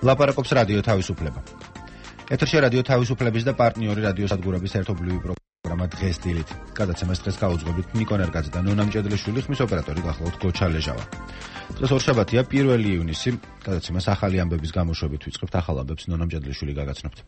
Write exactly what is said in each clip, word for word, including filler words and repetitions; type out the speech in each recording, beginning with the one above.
ლაპარაკობს რადიო თავისუფლება. ეთერში რადიო თავისუფლების და პარტნიორი რადიოსადგურების ერთობლივი პროგრამა დღეს დილით. გადაცემას დღეს გაუძღვებით ნიკო ნერგაძე და ნონა მჭედლიშვილი, ხმის ოპერატორი გახლავთ გოჩა ლეჟავა. დღეს ორშაბათია, პირველი ივნისი. გადაცემას ახალი ამბების გამოშვებით ვიწყებთ, ახალ ამბებს ნონა მჭედლიშვილი გაგაცნობთ.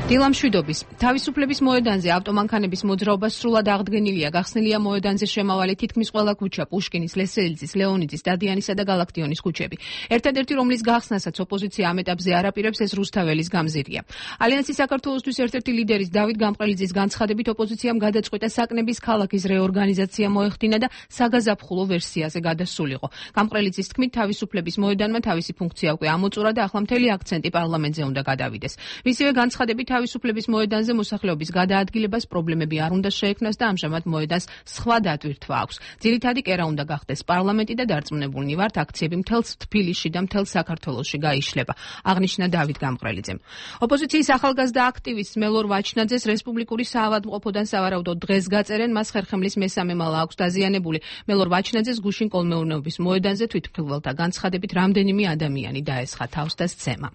დილამშვიდობის თავისუფლების მოედანზე ავტომანქანების მოძრაობა სრულად აღდგენილია. გახსნილია მოედანზე შემავალი თითქმის ყველა ქუჩა, პუშკინის, ლესელიძის, ლეონიძის, დადიანისა და გალაქტიონის ქუჩები. ერთადერთი, რომლის გახსნასაც ოპოზიცია ამ ეტაპზე არ აპირებს, ეს რუსთაველის გამზირია. ალიანსი საქართველოსთვის ერთ-ერთი ლიდერის დავით გამყრელიძის განცხადებით, ოპოზიციამ გადაწყვიტა საკნების ქალაქის რეორგანიზაცია მოეხდინა და საგაზაფხულო ვერსიაზე გადასულიყო. გამყრელიძის თქმით, თავისუფლების მოედანმა თავისი ფუნქცია უკვე ამოწურა და ახლა მთელი აქცენტი პარლამენტზე უნდა გადავიდეს. მისივე განცხადებით, თავისუფლების მოედანზე მოსახლეობის გადაადგილებას პრობლემები არ უნდა შეექმნას და ამჟამად მოედანს სხვა დატვირთვა აქვს. ძირითადი კერა უნდა გახდეს პარლამენტი და დარწმუნებულნი ვართ, აქციები მთელ თბილისში და მთელ საქართველოში გაიშლება, აღნიშნა დავით გამყრელიძემ. ოპოზიციის ახალგაზრდა აქტივისტ მელორ ვაჩნაძეს რესპუბლიკური საავადმყოფოდან სავარაუდოდ დღეს გაწერენ, მას ხერხემლის მესამე მალა აქვს დაზიანებული. მელორ ვაჩნაძეს გუშინ კოლმეურნეობის მოედანზე თვითმფრინველთა განცხადებით რამდენიმე ადამიანი დაესხა თავს და სცემა.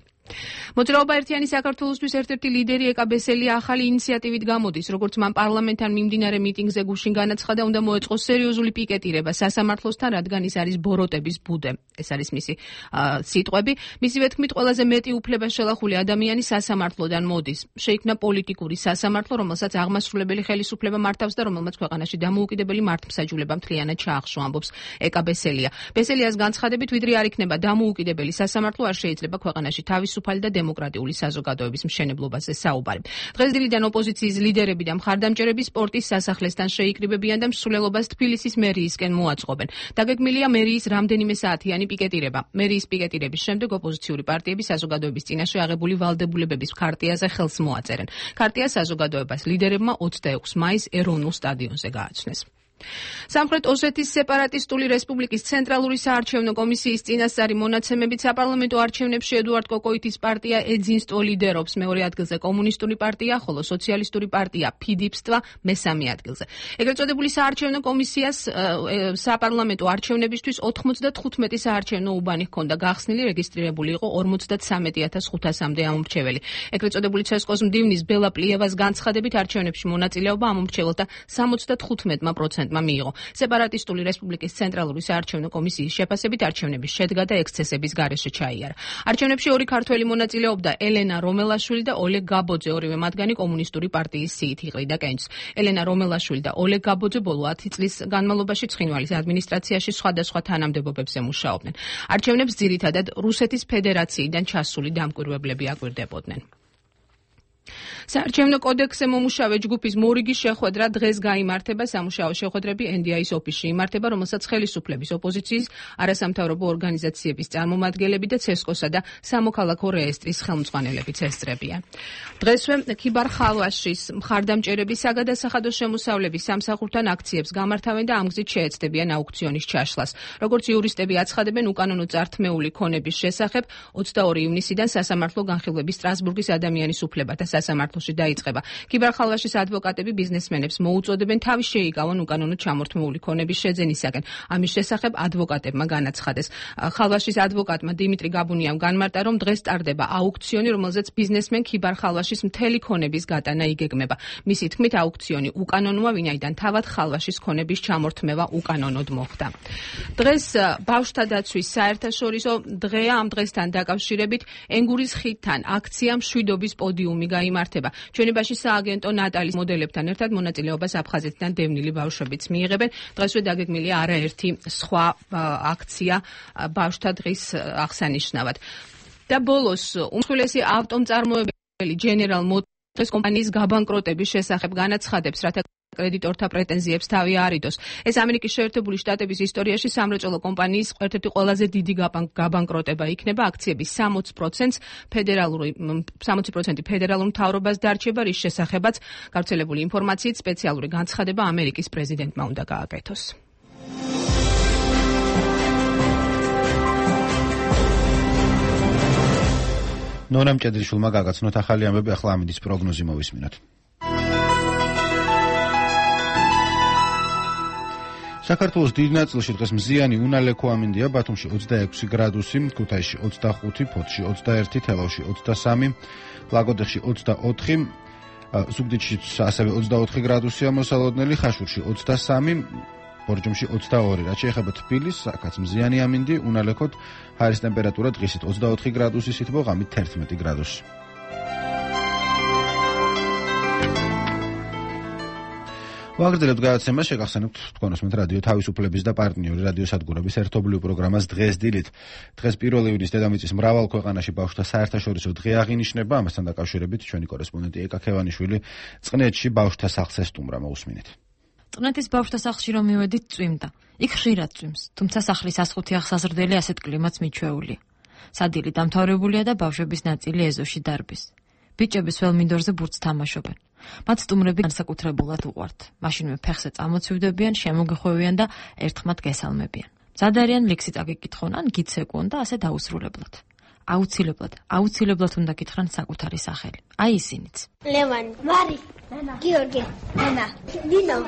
მოძრაობა ერთიანი საქართველოსთვის ერთ-ერთი ლიდერი ეკა ბესელია ახალი ინიციატივით გამოდის, როგორც მან პარლამენტთან მიმდინარე მიტინგზე გუშინ განაცხადა, უნდა მოეწყოს სერიოზული პიკეტირება სასამართლოსთან, რადგან ის არის ბოროტების ბუდე. ეს არის მისი სიტყვები. მისივე თქმით, ყველაზე მეტი უფლება შელახული ადამიანი სასამართლოდან მოდის. შეიქმნა პოლიტიკური სასამართლო, რომელსაც აღმასრულებელი ხელისუფლება მართავს და რომელმაც ქვეყანაში დამოუკიდებელი მართლმსაჯულება მთლიანად ჩაახშო, ამბობს ეკა ბესელია. ბესელიას განცხადებით, ვიდრე არ იქნება დამოუკიდებელი სასამართლო, არ შეიძლება ქვეყანაში თავის სუფალი და დემოკრატიული საზოგადოების მშენებლობაზე საუბარი. დღეს დილიდან ოპოზიციის ლიდერები და მხარდამჭერები სპორტის სასახლესთან შეიკრიბებიან და მსვლელობას თბილისის მერიისკენ მოაწყობენ. დაგეგმილია მერიის რამდენიმე საათიანი პიკეტირება. მერიის პიკეტირების შემდეგ ოპოზიციური პარტიები საზოგადოების წინაშე აღებული ვალდებულებების ქარტიაზე ხელს მოაწერენ. ქარტია საზოგადოებას ლიდერებმა ოცდაექვსი მაისს ეროვნულ სტადიონზე გააცნეს. სამხრეთ ოსეთის სეპარატისტული რესპუბლიკის ცენტრალური საარჩევნო კომისიის წინასწარი მონაცემებით საპარლამენტო არჩევნებში ედუარდ კოკოიტის პარტია ეძინსტო ლიდერობს, მეორე ადგილზე კომუნისტური პარტია, ხოლო სოციალისტური პარტია ფიდიპსტვა მესამე ადგილზე. ეგრეთ წოდებული საარჩევნო კომისიას საპარლამენტო არჩევნებისთვის ოთხმოცდათხუთმეტი საარჩევნო უბანი ჰქონდა გახსნილი, რეგისტრირებული იყო ორმოცდათვრამეტი ათას ხუთასამდე ამომრჩეველი. ეგრეთ წოდებული ცესკოს მდივნის ბელა პლიევას განცხადებით, არჩევნებში მონაწილეობა ამომრჩეველთა სამოცდათხუთმეტი პროცენტი მიიღო. სეპარატისტული რესპუბლიკის ცენტრალური საარჩევნო კომისიის შეფასებით არჩევნების შედგა და ექსცესების გარეშე ჩაიარა. არჩევნებში ორი ქართველი მონაწილეობდა, ელენა რომელაშვილი და ოლეგ გაბოძე, ორივე მათგანი კომუნისტური პარტიის სიით იყრიდა კენჭს. ელენა რომელაშვილი და ოლეგ გაბოძე ბოლო ათი წლის განმავლობაში ცხინვალის ადმინისტრაციაში სხვადასხვა თანამდებობებზე მუშაობდნენ. არჩევნებს ძირითადად რუსეთის ფედერაციიდან ჩასული დამკვირვებლები აკვირდებოდნენ. საარჩევნო კოდექსზე მომუშავე ჯგუფის მორიგის შეხვედრა დღეს გაიმართება. სამუშაო შეხვედრები ენ დი აის ოფისში იმართება, რომელსაც ხელისუფლების, ოპოზიციის, არასამთავრობო ორგანიზაციების წარმომადგენლები და ცესკოსა და სამოქალაქო რეესტრის ხელმძღვანელებიც ესწრებიან. დღესვე ქიბარ-ხალვაშის მხარდამჭერები საგადასახადო შემოსავლების სამსახურთან აქციებს გამართავენ და ამ გზით შეეცდებიან აუქციონის ჩაშლას. როგორც იურისტები აცხადებენ, უკანონო წართმეული ქონების შესახებ ოცდაორი ივნისიდან სასამართლო განხილვების სტრასბურგის ადამიანის უფლებათა სასამართლოში დაიწყება. ქიბარ-ხალვაშის ადვოკატები ბიზნესმენებს მოუწოდებენ თავის შეიკავონ უკანონო ჩამორთმეული ქონების შეძენისაგან. ამის შესახებ ადვოკატებმა განაცხადეს. ხალვაშის ადვოკატმა დიმიტრი გაბუნიამ განმარტა, რომ დღეს ტარდება აუქციონი, რომელზეც ბიზნესმენ ქიბარ-ხალვაშის მთელი ქონების გატანა იგეგმება. მისი თქმით, აუქციონი უკანონოა, ვინაიდან თავად ხალვაშის ქონების ჩამორთმევა უკანონოდ მოხდა. დღეს ბავშვთა დაცვის საერთაშორისო დღეა. ამ დღესთან დაკავშირებით ენგურის ხიდთან აქცია მშვიდობის პოდიუმი გაიმართება. ჩვენებაში სააგენტო ნატალის მოდელებთან ერთად მონაწილეობას აფხაზეთიდან დევნილი ბავშვებიც მიიღებენ. დღესვე დაგეგმილია არაერთი სხვა აქცია ბავშვთა დღის აღსანიშნავად. და ბოლოს უმსხვილესი ავტომწარმოებელი General Motors კომპანიის გაბანკროტების შესახებ განაცხადებს, რათა კრედიტორთა პრეტენზიებს თავი არიდოს. ეს ამერიკის შეერთებული შტატების ისტორიაში სამრეწველო კომპანიის ერთ-ერთი ყველაზე დიდი გაბანკროტება იქნება. აქციების სამოცი პროცენტს ფედერალური სამოცი პროცენტი ფედერალურ მთავრობას დარჩება, რის შესახებაც გავრცელებული ინფორმაციით სპეციალური განცხადება ამერიკის პრეზიდენტმა უნდა გააკეთოს. ნონა მჭედრიშვილმა გაგაცნოთ ახალი ამბები, ახლა ამინდის პროგნოზი მოვისმინოთ. საქართველოს დიდ ნაწილში დღეს მზიანი უნალექო ამინდია, ბათუმში ოცდაექვსი გრადუსი, ქუთაისში ოცდახუთი, ფოთში ოცდაერთი, თელავში ოცდასამი, ლაგოდეხში ოცდაოთხი, ზუგდიდში ასევე ოცდაოთხი გრადუსია მოსალოდნელი, ხაშურში ოცდასამი, ბორჯომში ოცდაორი. რაც შეეხება თბილისს, აქაც მზიანი ამინდი, უნალექოთ, ჰაერის ტემპერატურა დღისით ოცდაოთხი გრადუსი, სითბო ღამით თერთმეტი გრადუსი. ვაგრძელებთ გადაცემას, შეგახსენებთ თქვენ უსმენთ რადიო თავისუფლების და პარტნიორი რადიო სადგურების ერთობლივ პროგრამას დღეს დილით. დღეს პირველი ივნის დედამიწის მრავალ ქვეყანაში ბავშვთა საერთაშორისო დღე აღინიშნება, ამასთან დაკავშირებით ჩვენი კორესპონდენტი ეკა ქევანიშვილი წყნეთში ბავშვთა სახლს ესტუმრა, მოусმინეთ. წყნეთის ბავშვთა სახლში რომ მივედით, წვიმდა. იქ ხშირად წვიმს, თუმცა სახლის ასხუთი აღსაზრდელი ასეთ კლიმატს მიჩვეულია. სადილი დამთავრებულია და ბავშვების ნაწილი ეზოში დარბის. ბიჭების ველმინდორზე ბურთს თამაშობენ. მათ სტუმრები განსაკუთრებულად უყვართ. მაშინვე ფეხზე წამოცვივდებიან, შემოგეხვევიან და ერთხმად გესალმებიან. მზად არიან ლექსი წაგიკითხონ ან გიცეკონ და ასე დაუსრულებლად. აუცილებლად, აუცილებლად უნდა გითხრან საკუთარი სახელი. აი ისინიც. ლევანი, მარი, ნანა, გიორგი, ნანა, ნინო,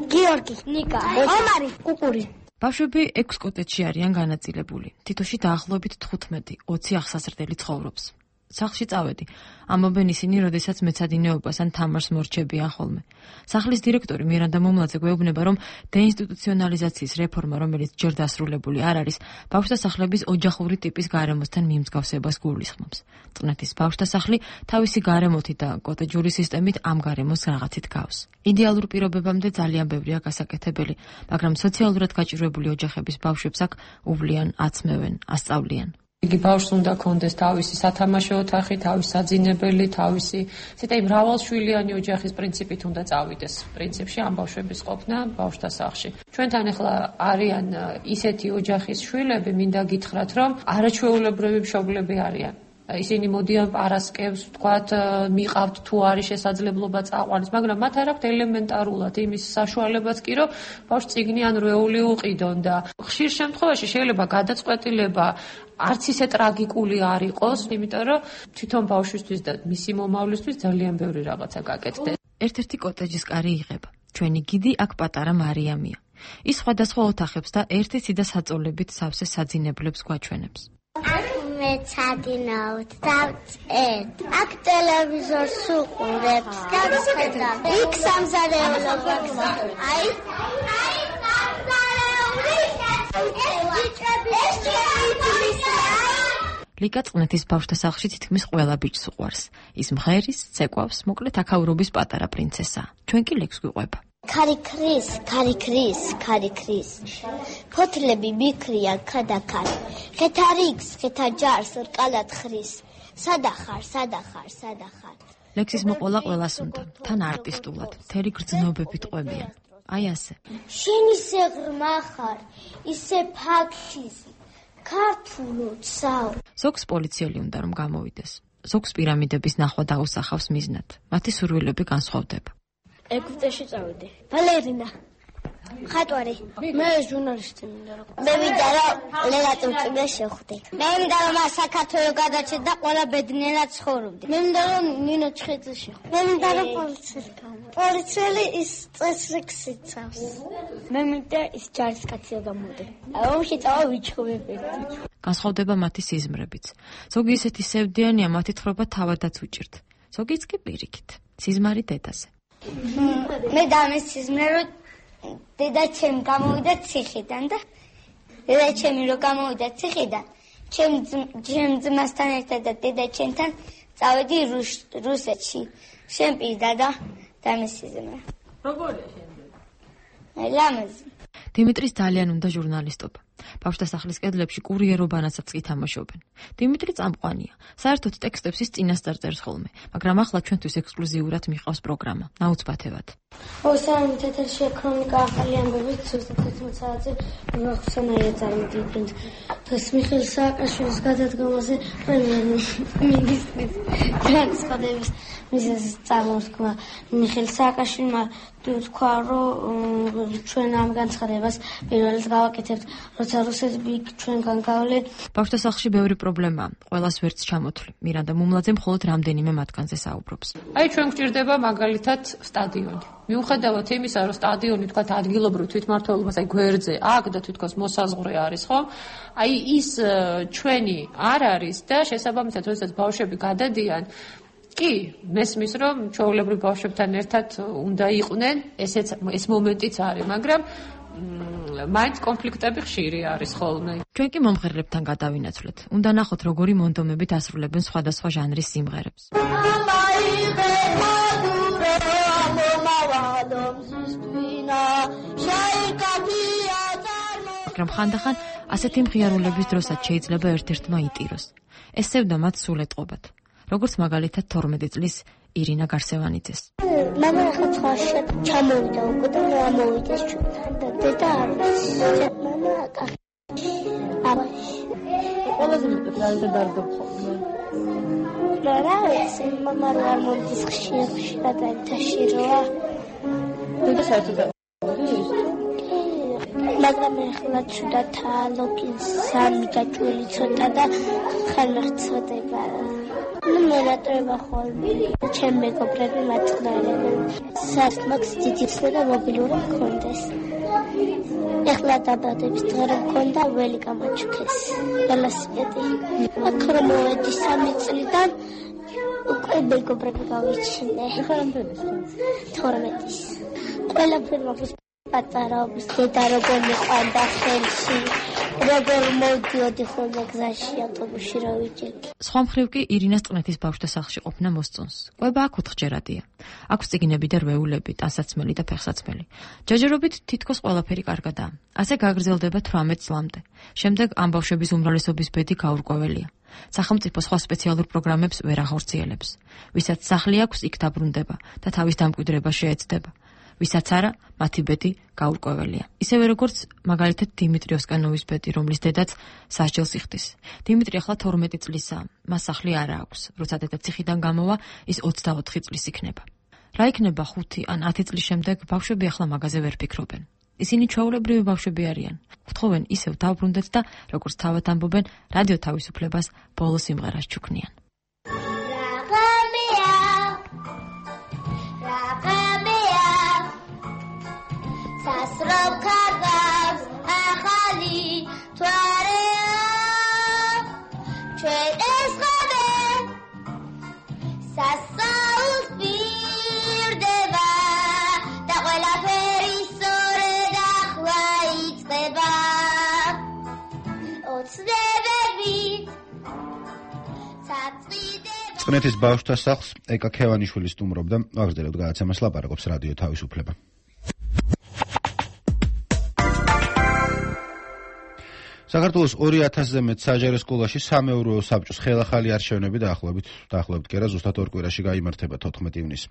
გიორგი, ნიკა, ომარი, კუკური. ბავშვები ექვს კოტეჯში არიან განაწილებული. თითოში დაახლოებით თხუთმეტი ოცი აღსაზრდელი ცხოვრობს. სახლში წავედი. ამბობენ ისინი, როდესაც მეცადინეობას ან თამარს მორჩებიან ხოლმე. სახლის დირექტორი მირანდა მომლაძე გვეუბნება, რომ დეინსტიტუციონალიზაციის რეფორმა, რომელიც ჯერ დასრულებული არ არის, ბავშვთა სახლების ოჯახური ტიპის გარემოსთან მიმსგავსებას გულისხმობს. წყნეთის ბავშვთა სახლი თავისი გარემოთი და კოტეჯური სისტემით ამ გარემოს რაღაცით გავს. იდეალურ პირობებამდე ძალიან ბევრია გასაკეთებელი, მაგრამ სოციალურად გაჭირვებული ოჯახების ბავშვებს აქ უვლიან, აცმევენ, ასწავლიან. იგი ბავშვს უნდა კონდეს თავისი სათამაშო ოთახი, თავისი საძინებელი, თავისი ცოტა მრავალშვილიანი ოჯახის პრინციპით უნდა წავიდეს. პრინციპში ამ ბავშვების ყოფნა ბავშვთა სახლში. ჩვენთან ახლა არიან ისეთი ოჯახის შვილები, მინდა გითხრათ, რომ არაჩვეულებრივი მშობლები არიან. ისინი მოდიან პარასკევს, ვთქვათ, მიყავთ თუ არის შესაძლებლობა წაყვანის, მაგრამ მათ არ აქვთ ელემენტარულად იმის საშუალებაც კი, რომ ბავშვს წიგნი ან რვეული უყიდონ და ხშირ შემთხვევაში შეიძლება გადაწყვეტილება არც ისე ტრაგიკული არ იყოს, იმიტომ რომ თვითონ ბავშვისთვის და მისი მომავლისთვის ძალიან ბევრი რაღაცა გაკეთდეს. ერთ-ერთი კოტეჯის კარი იღება. ჩვენი გიდი აქ პატარა მარიამია. ის სხვადასხვა ოთახებს და ერთი ციდა საწოლებით სავსე საძინებლებს გვაჩვენებს. მეცადინავთ და ვწერთ. აქ ტელევიზორს უყურებს და ვხედავ. იქ სამზარეულობა გზავნა. აი, აი ლიკა წყნეთის ბავშვთა სახლში თითქმის ყველა ბიჭს უყვარს. ის მღერის, ცეკვავს, მოკლედ აქაურობის პატარა პრინცესაა. ჩვენ კი ლექს გვიყვება. ქარი ქრის, ქარი ქრის, ქარი ქრის. ფოთლები მიქრია ქადაქარ. ხეთა რიგს, ხეთა ჯარს რკალად ხრის. სადახარ, სადახარ, სადახარ. ლექსის მოყოლა ყველას უნდა, თან არტისტულად, მთელი გრძნობებით ყვებიან. აი ასე. შენ ისე ღრმა ხარ, ისე ფაქთიზი. ქართულოცავ. ზოგს პოლიციელი უნდა რომ გამოვიდეს. ზოგს პირამიდების ნახვა დაუსახავს მიზნად. მათი სურვილები განსხვავდება. ეგვიპტეში წავედი. ბალერინა. ხატვარი. მე ჟურნალისტი მინდა რომ. მე მინდა რომ ლელა ტურკიბეს შეხვდე. მე მინდა რომ საქართველოს გადაჭერდა და ყველა ბედნიერად ცხოვრობდი. მე მინდა რომ ნინო ჩხეძე შეხვდე. მე მინდა რომ პოლიციელი გავა. პოლიციელი ის წესრიგს იცავს. მე მინდა ის ჯარისკაცია გამოდე. ომში წავა ვიჩხუბები. განსხვავდება მათი სიზმრებიც. ზოგი ისეთი სევდიანია, მათი თხრობა თავადაც უჭირთ. ზოგიც კი პირიქით. სიზმარი დედაზე. მე დამის სიზმრე რომ დედა ჩემ გამოვიდა ციხიდან და დედა ჩემი რო გამოვიდა ციხიდან, ჩემ ჩემ ძმასთან ერთად და დედა ჩემთან წავედი რუსეთში. შენ პირდა და დამის სიზმრე. როგორია შენზე? ლამაზი. დიმიტრის ძალიან უნდა ჟურნალისტობა. ბავშვთა სახლის კედლებში კურიერობანაცაც კი თამაშობენ. დიმიტრი წამყვანია. საერთოდ ტექსტებს ის წინასწარ წერს ხოლმე, მაგრამ ახლა ჩვენთვის ექსკლუზიურად მიყავს პროგრამა, ნაუცბათებად. ოსანი თეთრში ქრონიკა ახალი ამბები ზუსტად თერთმეტ საათზე ვახსენაია წარმოდგენთ. დღეს მიხეილ სააკაშვილის გადადგომაზე პრემიერ-მინისტრის განცხადების მიზეზი წარმოთქვა. მიხეილ სააკაშვილმა თქვა რომ ჩვენ ამ განცხადებას პირველად გავაკეთებთ, როცა რუსები ჩვენგან გავლენ. ბავშვთა სახლში ბევრი პრობლემაა, ყველას ვერც ჩამოთვლი. მირანდა მუმლაძე მხოლოდ რამდენიმე მათგანზე საუბრობს. აი ჩვენ გვჭირდება მაგალითად სტადიონი. მიუხედავად იმისა, რომ სტადიონი თქვა ადგილობრივ თვითმმართველობას, აი გვერდზე, აქ და თვითონ მოსაზღვრე არის, ხო? აი ის ჩვენი არ არის და შესაბამისად, როდესაც ბავშვები გადადიან, კი, მესმის რომ ჩვეულებრივ ბავშვებთან ერთად უნდა იყვნენ, ესეც ეს მომენტიც არის, მაგრამ მაინც კონფლიქტები ხშირი არის ხოლმე. ჩვენ კი მომღერლებთან გადავინაცვლეთ. უნდა ნახოთ, როგორი მონდომებით ასრულებენ სხვადასხვა ჟანრის სიმღერებს. მაგრამ ხანდახან ასეთი მხიარულების დროსაც შეიძლება ერთ-ერთმა იტიროს. ეს სევდა მათ სულ ეტყობათ. როგორც მაგალითად თორმეტი წლის ირინა გარსევანიძეს. მამა ახლა ცხოველში ჩამოვიდა უკვე და ამოვიდეს ჩვენთან და დედა არ არის. მამა კახი. აბაში. ყველაზე მეტად რა დარდობ ხოლმე. რა ვიცი, მამა რო არ მომდის ხშირ ხშირად აერთაში როა. დედა საერთოდ მაგრამ ახლა ცუდად ლოგინს სამი გაჭველი ცოტა და ხალხდება. ნუ მერატრება ხოლმე. ჩემ მეგობრები მათყნარებენ. სასმაქს ძიძიცნა და მობილური მქონდეს. ეხლა დაბადების დღე რომ მქონდა ველი გამაჩუქეს. ველოსიპედი. აქ რომ მოვედი სამი წლიდან უკვე მეგობრები გავიჩინე. ეხლა რამდენის? თორმეტის. ყველაფერი მაქვს პატარაობის დედა როგორ მიყვანდა ხელში. როგორ მოვდიოდი ხოლმე გზაში ავტობუსში რა ვიჭერდი. სხვა მხრივ კი ირინას წყნეთის ბავშვთა სახლში ყოფნა მოსწონს. ყვება აქ ოთხჯერადია. აქვს წიგნები და რვეულები, ტანსაცმელი და ფეხსაცმელი. ჯაჯერობით თითქოს ყველაფერი კარგადაა. ასე გაგრძელდება თვრამეტ წლამდე. შემდეგ ამ ბავშვების უმრავლესობის ბედი გაურკვეველია. სახელმწიფო სხვა სპეციალურ პროგრამებს ვერ ახორციელებს. ვისაც სახლი აქვს, იქ დაბრუნდება და თავის დამკვიდრება შეეცდება. ვისაც არა, მათი ბედი გაურკვეველია. ისევე როგორც მაგალითად დიმიტრი ოსკანოვის ბედი, რომლის დედაც სასჯელს იხდის. დიმიტრი ახლა თორმეტი წლისაა, მას სახლი არა აქვს. როცა დედა ციხიდან გამოვა, ის ოცდაოთხი წლის იქნება. რა იქნება ხუთი ან ათი წლის შემდეგ, ბავშვები ახლა მაგაზე ვერ ფიქრობენ. ისინი ჩვეულებრივი ბავშვები არიან. გთხოვენ ისევ დავბრუნდეთ და როგორც თავად ამბობენ, რადიო თავისუფლებას ბოლო სიმღერას ჩუქნიან. წყნეთის ბავშვთა სახლს ეკა ქევანიშვილი სტუმრობდა, ვაგრძელებთ გადაცემას, ლაპარაკობს რადიო თავისუფლება. საქართველოს ორი ათასზე მეტ საჯარო სკოლაში სამეურვეო საბჭოს ხელახალი არჩევნები დაახლოებით დაახლოებით კი არა ზუსტად ორ კვირაში გაიმართება თოთხმეტი ივნისს.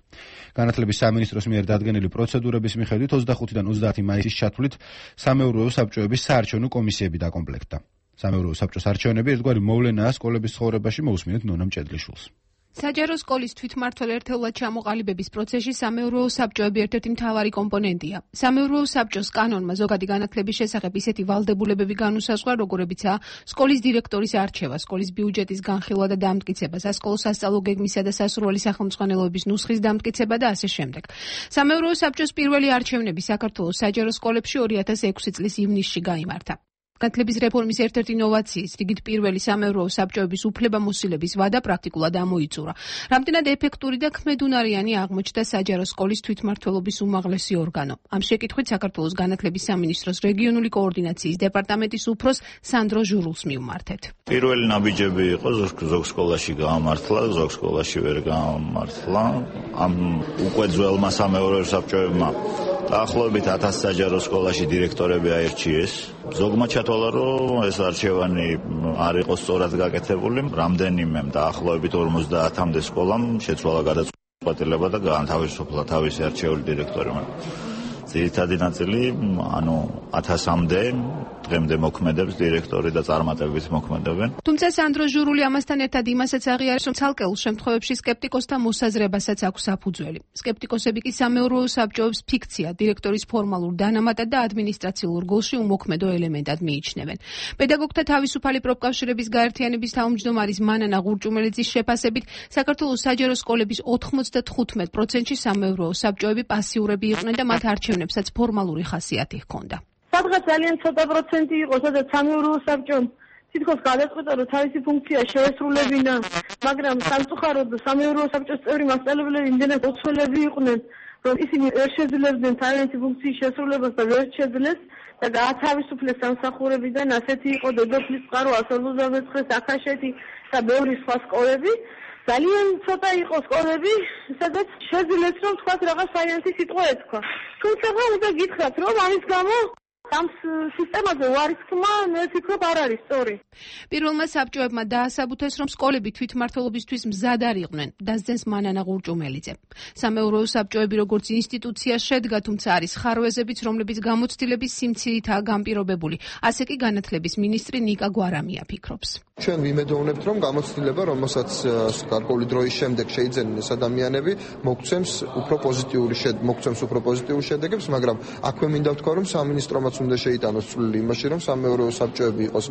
განათლების სამინისტროს მიერ დადგენილი პროცედურების მიხედვით ოცდახუთიდან ოცდაათი მაისის ჩათვლით სამეურვეო საბჭოების საარჩევნო კომისიები დაკომპლექტდა. სამეურვეო საბჭოს არჩევნები ერთგვარი მოვლენაა სკოლების ცხოვრებაში, მოусმინეთ ნონა მჭედლიშვილს. საჯარო სკოლის თვითმმართველ ერთეულად ჩამოყალიბების პროცესში სამეურვეო საბჭოები ერთ-ერთი მთავარი კომპონენტია. სამეურვეო საბჭოს კანონმა ზოგადი განათლების შესახებ ისეთი ვალდებულებები განუსაზღვრა, როგორებიცაა სკოლის დირექტორის არჩევა, სკოლის ბიუჯეტის განხილვა და დამტკიცება, სასკოლო სასწავლო გეგმისა და სასურველი სახელმძღვანელოების ნუსხის დამტკიცება და ასე შემდეგ. სამეურვეო საბჭოს პირველი არჩევნები საქართველოს საჯარო სკოლებში ორი ათას ექვსი წლის ივნისში გაიმართა. განათლების რეფორმის ერთ-ერთი ინოვაციის, რიგით პირველი სამეურვეო საბჭოების უფლებამოსილების ვადა პრაქტიკულად ამოიწურა. რამდენად ეფექტური და ქმედუნარიანი აღმოჩნდა საჯარო სკოლის თვითმმართველობის უმაღლესი ორგანო. ამ შეკითხვით საქართველოს განათლების სამინისტროს რეგიონული კოორდინაციის დეპარტამენტის უფროს სანდრო ჟურულს მივმართეთ. პირველი ნაბიჯები იყო ზოგ სკოლაში გაამართლა, ზოგ სკოლაში ვერ გაამართლა. ამ უკვე ძველმა სამეურვეო საბჭოებმა დაახლოებით ათას საჯარო სკოლაში დირექტორები აირჩიეს. ზოგმა ჩათვალა, რომ ეს არჩევანი არ იყო სწორად გაკეთებული. რამდენიმე დაახლოებით ორმოცდაათამდე სკოლამ შეცვალა გადაწყვეტილება და გაანთავისუფლა თავისი არჩეული დირექტორი. ძირითადი ნაწილი, ანუ ათასამდე დღემდე მოქმედებს დირექტორი და წარმატებით მოქმედებენ. თუმცა სანდრო ჟურული ამასთან ერთად იმასაც აღიარებს, რომ ცალკეულ შემთხვევებში სკეპტიკოსთა მოსაზრებასაც აქვს საფუძველი. სკეპტიკოსები კი სამეურვეო საბჭოებს ფიქცია, დირექტორის ფორმალურ დანამატად და ადმინისტრაციულ რგოლში უმოქმედო ელემენტად მიიჩნევენ. პედაგოგთა თავისუფალი პროფკავშირების გაერთიანების თავმჯდომარის მანანა ღურჭუმელიძის შეფასებით, საქართველოს საჯარო სკოლების ოთხმოცდათხუთმეტ პროცენტში სამეურვეო საბჭოები პასიურები იყვნენ და მათ არჩევნებსაც ფორმალური ხასიათი ჰქონდა. სადღაც ძალიან ცოტა პროცენტი იყო, სადაც სამეურვეო საბჭომ თითქოს გადაწყვიტა, რომ თავისი ფუნქცია შეესრულებინა, მაგრამ სამწუხაროდ სამეურვეო საბჭოს წევრი მასწავლებლები იმდენად ოცველები იყვნენ, რომ ისინი ვერ შეძლებდნენ თავისი ფუნქციის შესრულებას და ვერ შეძლეს და გაათავისუფლეს სამსახურებიდან. ასეთი იყო დედოფლის წყარო, ასა ოცდამეცხრე, აქაშეთი და ბევრი სხვა სკოლები. ძალიან ცოტა იყო სკოლები, სადაც შეძლეს, რომ თქვათ რაღაც საინტერესო სიტყვა ეთქვა. თუმცა უნდა გითხრათ, რომ ამის გამო ამ სისტემაზე ვარისქმა, მე ვფიქრობ, არ არის სწორი. პირველმა საბჭოებმა დაასაბუთეს, რომ სკოლები თვითმმართველობისთვის მზად არ იყვნენ, დასძენს მანანა ღურჭუმელიძე. სამეურვეო საბჭოები როგორც ინსტიტუცია შედგა, თუმცა არის ხარვეზებიც, რომლებიც გამოცდილების სიმცირითაა განპირობებული. ასე კი განათლების მინისტრი ნიკა გვარამია ფიქრობს. ჩვენ ვიმედოვნებთ, რომ გამოცდილება, რომელსაც გარკვეული დროის შემდეგ შეიძენენ ეს ადამიანები, მოგცემს უფრო პოზიტიური შედეგებს, მოგცემს უფრო პოზიტიურ შედეგებს, მაგრამ აქვე მინდა ვთქვა, რომ სამინისტრომაც უნდა შეიტანოს წვლილი იმაში, რომ სამეურვეო საბჭოები იყოს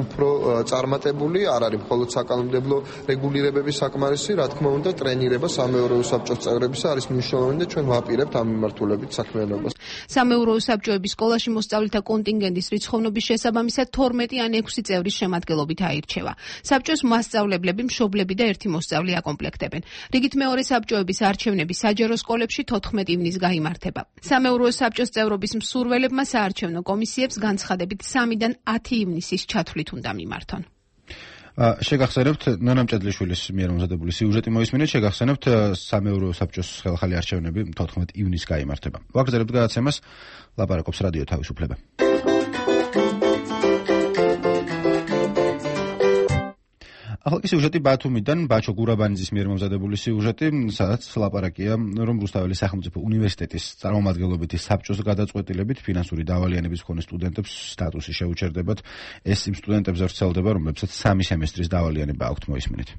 უფრო წარმატებული, არ არის მხოლოდ საკანონმდებლო რეგულირებების საკმარისი, რა თქმა უნდა, ტრენირება სამეურვეო საბჭოს წევრებისა არის მნიშვნელოვანი და ჩვენ ვაპირებთ ამ მიმართულებით საქმიანობას. სამეურვეო საბჭოების სკოლაში მოსწავლეთა კონტინგენტის რიცხოვნობის შესაბამისად თორმეტი ან ექვსი წევრის შემადგენლობით აირჩევა. საბჭოს მასწავლებლები, მშობლები და ერთი მოსწავლე აკომპლექტებენ. რიგით მეორე საბჭოების არჩევნები საჯარო სკოლებში თოთხმეტი ივნის გაიმართება. სამეურვეო საბჭოს წევრობის მსურველებმა საარჩევნო კომისიებს განცხადებით სამიდან ათი ივნისის ჩათვლით უნდა მიმართონ. შეგახსენებთ ნონამ ჭედლიშვილის მიერ მომზადებული სიუჟეტი მოისმინეთ, შეგახსენებთ სამეურვეო საბჭოს ხელახალი არჩევნები თოთხმეტ ივნისს გაიმართება. ვაგრძელებთ გადაცემას, ლაპარაკობს რადიო თავისუფლება. ახალ სიუჟეტი ბათუმიდან, ბაჩო გურაბანიძის მიერ მომზადებული სიუჟეტი, სადაც ლაპარაკია, რომ რუსთაველის სახელმწიფო უნივერსიტეტის წარმომადგენლობითი საბჭოს გადაწყვეტილებით ფინანსური დავალიანების მქონე სტუდენტებს სტატუსი შეუჩერდებათ. ეს იმ სტუდენტებზე ვრცელდება, რომლებსაც სამი სემესტრის დავალიანება აქვთ, მოისმინეთ.